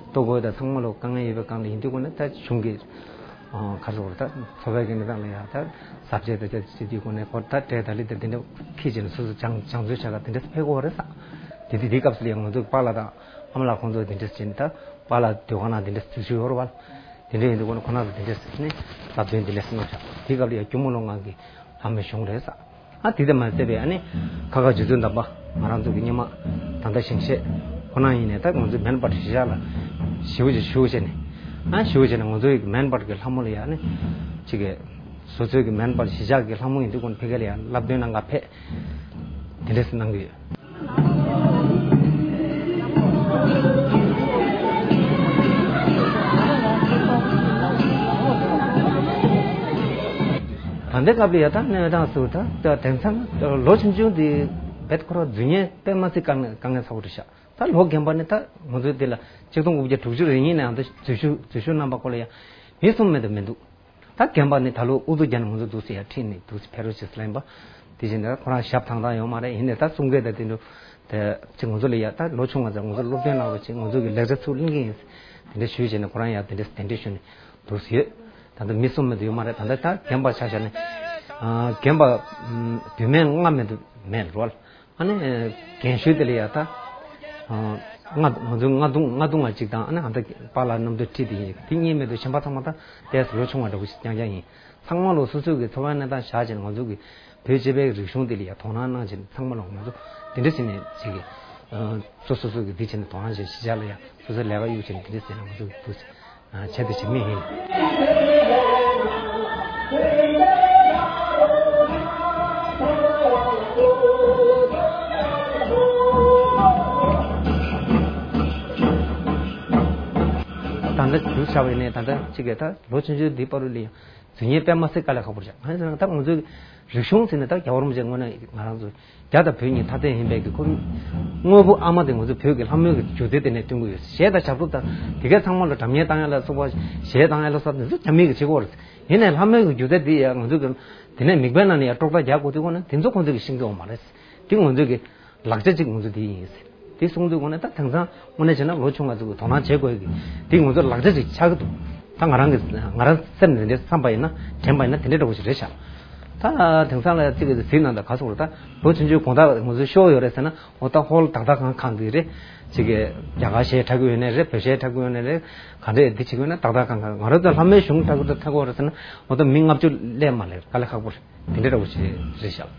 ལྟོ་གོས་དང་ཚང་མ་ལ་དཀའ་ངལ་ཡོད་པའི་སྒང་ལ་ཡིན་དུས་ཁོ་ན་ད་གཞུང་གི་ག་ཚོད་རེད་ད་འཚོ་བའི་གི་གནས་སྟངས་ལ་ཡ་ད་ཟབ་ཆས་དང་ཆ་བྱེད་དུས་ཁོ་ན་ཁོ་ད་སྤྲད་ད་ལི་དང་དེ་འདྲ་ཁྱི་བྱས་ནས་སོ་སོ་སྦྱང་སྦྱང་བརྩོན་བྱ་ག་དེ་འདྲ་ཕེབས་དགོས་རེད་ས། དེ་དུས་དེ་སྐབས་སུ་ལ་ཡ་ང་ཚོ་གི་པཱ་ལགས་དང་ཨ་མ་ལགས་ཁོང་ཚོ་དེ་འདྲ་བྱས་ནས་ད་པཱ་ལགས་སྡོད་ཁང་ནང་དེ་འདྲ་འཛུལ་ཞུགས་ཡོད་རེད་བ། དེ་འདྲ་ཡིན་དུས་ཁོ་ན་ཁོ་ན་ཚོ་དེ་འདྲ་ཟེར་ནས་ལབ་དོན་དེ་འདྲ་ཟེར་གནང་བཞག་དེ་སྐབས་ལ་ཡ་སྐྱོར་མོ་ལོ་ང་གི་ལྷ་མོའི་གཞུང་རེད་ས། ཨ་དེ་དེ་མ་ཟད་པའི་ཨ་ནི་ཁ་ཁ་རྗེ་བཙུན་དམ་པ་ང་རང་ཚོ་གི་སྔོན་མ་ད་ལྟ་ཞིང་གཤེགས་ཁོ་ན་ཡིན་ནས་ད་ང་ཚོའི་མེན་པར་གཞིས་ཆགས་ལ་ཞེ་པོ་ཅིག་ཞུ་བྱས་ནས་ཨ་ཞུ་བྱས་ནས་ང་ཚོའི་མེན་པར་གྱི་ལྷ་མོ་ལ་ཡ་ཨ་ནི་ཅིག་གི་སོ་སོའི་གི་མེན་པར་གཞིས་ཆགས་ཀྱི་ལྷ་མོ་ཡིན་དུས་ཁོ་ན་ཕ་གི་ལ་ཡ་བསླབ་སྟོན་གནང་ག་ཕེབས། དེ་འདྲས་སེ་གནང་གི་ཡོད། ད་ལྟའི་སྐབས་ལ་ཡ་ད་གནས་སྟངས་སུ་ད་ད་དེང་སང་ལོ་ཆུང་ཆུང་དེ་བེད་ཁོ་རང་རྫུན་ཉེས་དཔེ་མ་སྲིད་དཀའ་ངལ་དཀའ་ངལ་ཚ་པོ་རེད་ཤག་ད་ལོ་རྒན་པ་ནི་ད་ང་ཚོའི་དེ་ལ་ཆིག་སྟོང་དགུ་བརྒྱ་དྲུག་ཅུ་རེ་གཉིས་ནས་ཨ་ད་འཛུལ་ཞུགས་འཛུལ་ཞུགས་གནང་པ་ཁོ་ལ་ཡ་མི་གསུམ་མེད་དུ་མི་འདུག་ད་རྒན་པ་ནི་ད་ལོ་ཨུ་ཚུགས་རྒྱག་ནས་ང་ཚོ་འདུག་སེ་ཡར་ཁྲིད་ནས་འདུག་སེ་ཕེབས་རོགས་བྱེད་ཟེར་ལབ་ཡིན་པ། དེ་བཞིན་ད་ཁོ་རང་ཞབས་ཐང་ཐང་ཡོད་མ་རེད། ཡིན་ནའི་ད་གསུང་སྐད་དང་དེ་འདྲ་དེ་ཅིག་ང་ཚོ་ལ་ཡ་ད་ལོ་ཆུང་བ་ཚོ་ང་ཚོ་སློབ་སྟོན་གནང་རོགས་བྱེད། ང་ཚོ་གི་ལེགས་ཆ་ཚུར་ལེན་གྱི་ཡིན། དེ་འདྲ་ཞུས་བྱས་ནས་ཁོ་རང་ཡ་དེ་འདྲ་གདན་འདྲེན་ཞུས་ནས་འདུག་སེ་ཡོད། ད་ལྟ་མི་གསུམ་མེད་དུ་ཡོད་མ་རེད། ད་ལྟ་ད་རྒན་པ་ཆ་བཞག་ནས་རྒན་པ་བུད་མེད་ལྔ་མེད་དུ་མེད་རེད། ཨ་ནི་རྒན་ཤོས་དེ་ལ་ཡ་ད་ང་ང་ཚོ་ང་དུང་ང་དུང་ང་གཅིག་དང་ཨ་ནི་ཨ་མདའ་པཱ་ལགས་རྣམ་ཐོས་ཁྲིད་དེ་ཡིན། དེ་གཉིས་མེད་དུ་གཞན་པ་ཚང་མ་ད་ཏོག་ཙམ་ལོ་ཆུང་བ་འདྲ་བོ་ཞིག་རྐྱང་རྐྱང་ཡིན། ཚང་མ་ལོ་སོ་སོའི་གི་འཚོ་བའི་གནས་སྟངས་བཞག་བྱས་ནས་ང་ཚོ་གི་བོད་སྤྱི་པའི་རིག་གཞུང་དེ་ལ་ཡ་དོ་སྣང་གནང་བྱས་ནས་ཚང་མ་ལོ་ང་ཚོ་དེ་འདྲ་བྱས་ནས་ཅིག་གི་སོ་སོ་སོ་གི་འདི་བྱས་ནས་དོ་སྣང་བྱས་གཞིས་ཆགས་ལ་ཡ་སོ་སོའི་ལས་ཀ་གཡུག་བྱས་ནས་དེ་འདྲ་བྱས་ནས་ང་ཚོ་གི་འདུག་སེ། བྱས་ཏེ་བྱེད་མི་ཡིན། ད་ལྟ་འདུག་བྱ་བའི་ནས་ད་ལྟ་གཅིག་གི་ད་ལོ་ཆུང་ཆུང་འདི་བར་དུ་ལ་ཡང་རྫུན་ཉེས་དཔེ་མ་སྲིད་དཀའ་ལས་ཁག་པོ་རེད། ང་ཚོ་ད་ང་ཚོའི་རིག་གཞུང་ཟེར་ནས་ད་རྒྱལ་བ་རིན་པོ་ཆེ་དངོས་གནས་ང་རང་ཚོ་རྒྱ་དང་བོད་གཉིས་ཐ་དད་ཡིན་པའི་གི་ཁོ་དངོས་པོ་ཨ་མ་དེ་ང་ཚོ་བོད་ཀྱི་ལྷ་མོའི་གི་སྒྱུ་རྩལ་དེ་ནས་བསྟུན་གྱི་ཡོད། གཞས་དང་ཞབས་བྲོ་དང་དེ་གའི་ཚང་མ་ལ་སྒྲ་སྙན་བཏང་ཡ་ལ་སོགས་པ་གཞས་བཏང་ཡ་ལ་སོགས་པ་དེ་ཚོ་རྒྱ་མི་གི་བྱེད་སྒོ་རེད། ཡིན་ནའི་ལྷ་མོའི་གི་སྒྱུ་རྩལ་དེ་ཡ་ང་ཚོ་གི་དེ་ནས་མིག་དཔེ་ནང་ནས་ཡ་དཀྲོག་རྟགས་རྒྱག་དགོས་དུས་ཁོ་ན་དེ་ཚོ་ཁོང་ཚོ་གི་ཤེས་ཀྱི་ཡོད་མ་རེད། དེ་ང་ཚོ་གི་ལག་ཆ་གཅིག་ང་ཚོ་དེ་ཡིན་ཟེར། དེ་གསུངས་དུས་ཁོང་ནས་ད་དེང་སང་དངོས་གནས་བྱས་ན་ལོ་ཆུང་བ་ཚོ་གི་དོ་སྣང་བྱེད་དགོས་ཀྱི་དེ་ང་ཚོ་ལག་ཆ་གཅིག་ཆགས་ཀྱི་འདུག་ད་ང་རང་གི་ང་རང་སེམས་ནས་འདི་བསམ་པ་ཡིན་ན་དྲན་པ་ཡིན་ན་དེ་འདྲ་འདྲ་བོ་ཞིག་རེད་ཤག་ད་དེང་སང་ལ་ཅིག་གི་གཟིགས་ན་ད་ག་ཚོད་རེད། ད་ལོ་ཆུང་ཆུང་དགོང་དག་ང་ཚོ་ཤོག་ཡོད་རེད་ཟེར་ན་འོ་ད་ཧོལ་ཏག་ཏག་ཁང་ཁང་གི་རེད། ཅིག་གི་རྒྱ་གར་གཞས་འཁྲབ་ཀྱི་ཡོད་ནའི་རེད། བོད་གཞས་འཁྲབ་ཀྱི་ཡོད་ནའི་རེད། ག་འདྲས་འདི་བྱེད་ཀྱི་ཡོད་ན་ཏག་ཏག་ཁང་ཁང་ང་རང་ཚོ་ལྷ་མོའི་གཞུང་འཁྲབ་ཀྱི་འདུག་འཁྲབ་ཀྱི་ཡོད་རེད་ཟེར་ན་འོ་ད་མི་ལྔ་བཅུ་སླེབས་མ་སླེབས་དཀའ་ལས་ཁག་པོ་རེད། དེ་འདྲ་འདྲ་བོ་ཞིག་རེད་ཤག་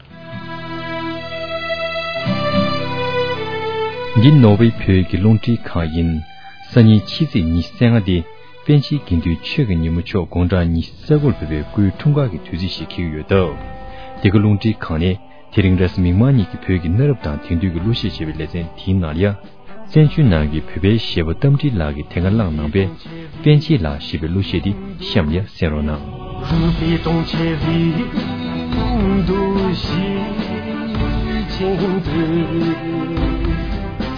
འདི་ནོར་ཝེ་བོད་ཀྱི་རླུང་འཕྲིན་ཁང་ཡིན། སང་ཉིན་ཕྱི་ཚེས་ཉི་ཤུ་རྩ་ལྔ་སྟེ། པཎ་ཆེན་དགེ་འདུན་ཆོས་ཀྱི་ཉིན་མོ་མཆོག་དགུང་གྲངས་ཉི་ཤུ་རྩ་དགུར་ཕེབས་པའི་སྐུའི་འཁྲུངས་སྐར་གྱི་དུས་ཚིགས་ཤིག་འཁེལ་གྱི་ཡོད་སྟབས། འདི་ག་རླུང་འཕྲིན་ཁང་ནས་དེ་རིང་རེས་གཟའ་མིག་དམར་ཉིན་གྱི་བོད་ཀྱི་གནའ་རབས་དང་དེང་དུས་ཀྱི་གླུ་གཞས་ཞེས་པའི་ལེ་ཚན་དེའི་ནང་ལ་ཡང་། བཙན་བྱོལ་ནང་གི་བོད་པའི་གཞས་པ་རྟ་མགྲིན་ལགས་ཀྱིས་དེ་སྔ་བླངས་གནང་པའི་པཎ་ཆེན་ལགས་ཞེས་པའི་གླུ་གཞས་འདི་གཤམ་ལ་གསན་རོགས་གནང་། ཆེན་དུ།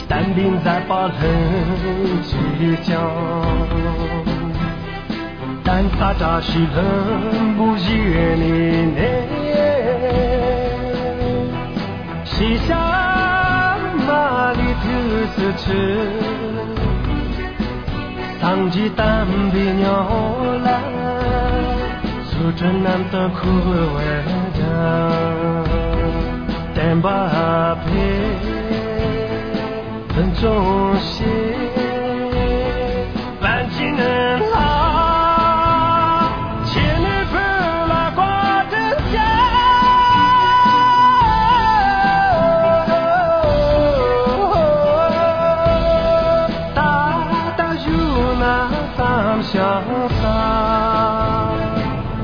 བསྟན་པའི་མཛད་པ་ལྷུན་གྱིས་བརྐྱངས། བསྟན་ས་བཀྲ་ཤིས་ལྷུན་པོ་བཞུགས་ནས་ནི། ཤེས་བྱ་མ་ལུས་ཐུགས་སུ་ཆུད། སངས་རྒྱས་བསྟན་པའི་ཉམས་ལ། སོ་སོ་རྣམ་དག་འཁོར་བར་སྦྱངས། བསྟན་པ་འཕེལ། ཕུན་ཚོགས་ཤིང་། པཎ་ཆེན་ལྷ། ཁྱེད་ནི་བོད་ལ་བཀའ་དྲིན་ཆེ། ད་ལྟ་བཞུགས་ན་བསམ་ཞིང་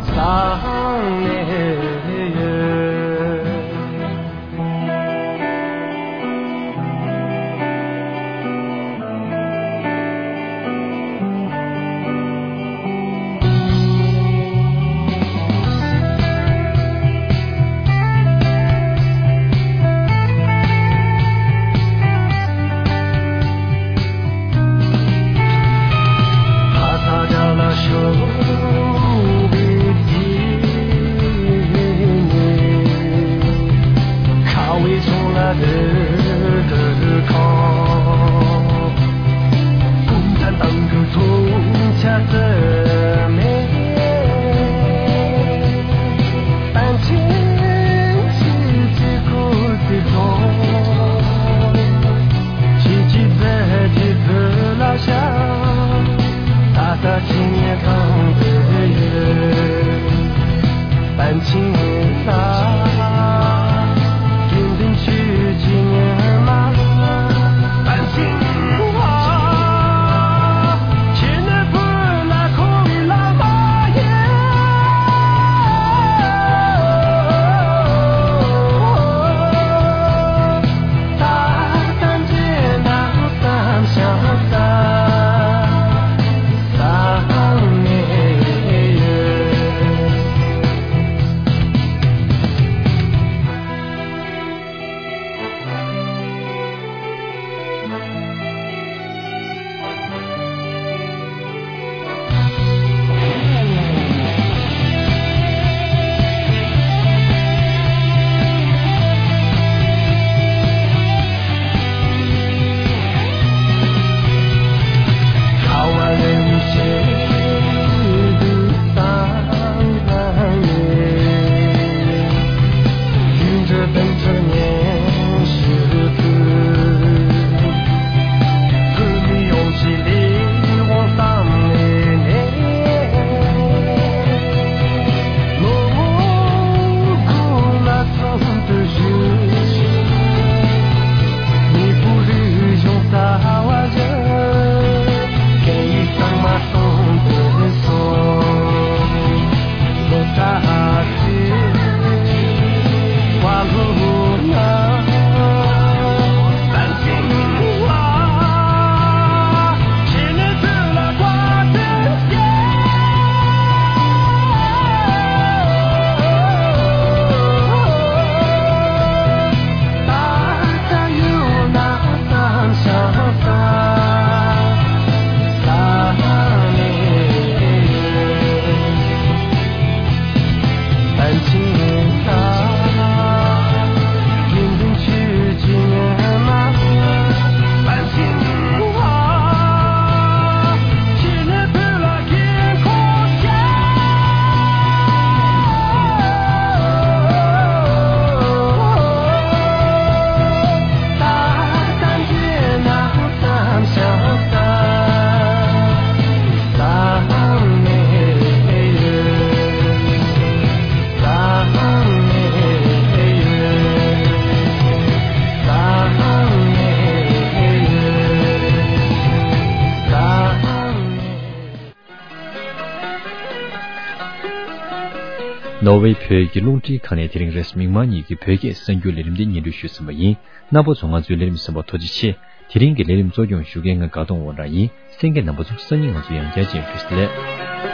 སང་ནས་ཡོད། ནོར་ཝེ་བོད་ཀྱི་རླུང་འཕྲིན་ཁང་ནས་དེ་རིང་རེས་མིག་དམར་ཉིན་གྱི་བོད་སྐད་གསར་འགྱུར་ལས་རིམ་འདི་སྙན་སྒྲོན་ཞུས་ཟིན་པ་ཡིན། རྣམ་པ་ཚོ་ང་ཚོའི་ལས་རིམ་གསན་པར་ཐུགས་རྗེ་ཆེ། དེ་རིང་གི་ལས་རིམ་གཙོ་སྐྱོང་ཞུ་མཁན་ང་དགའ་གདོང་དབང་གྲགས་ཡིན། གསན་མཁན་རྣམ་པ་ཚོ་སང་ཉིན་ང་ཚོ་ཡང་བསྐྱར་མཇལ་ཡོང་། བཀྲ་ཤིས་བདེ་ལེགས།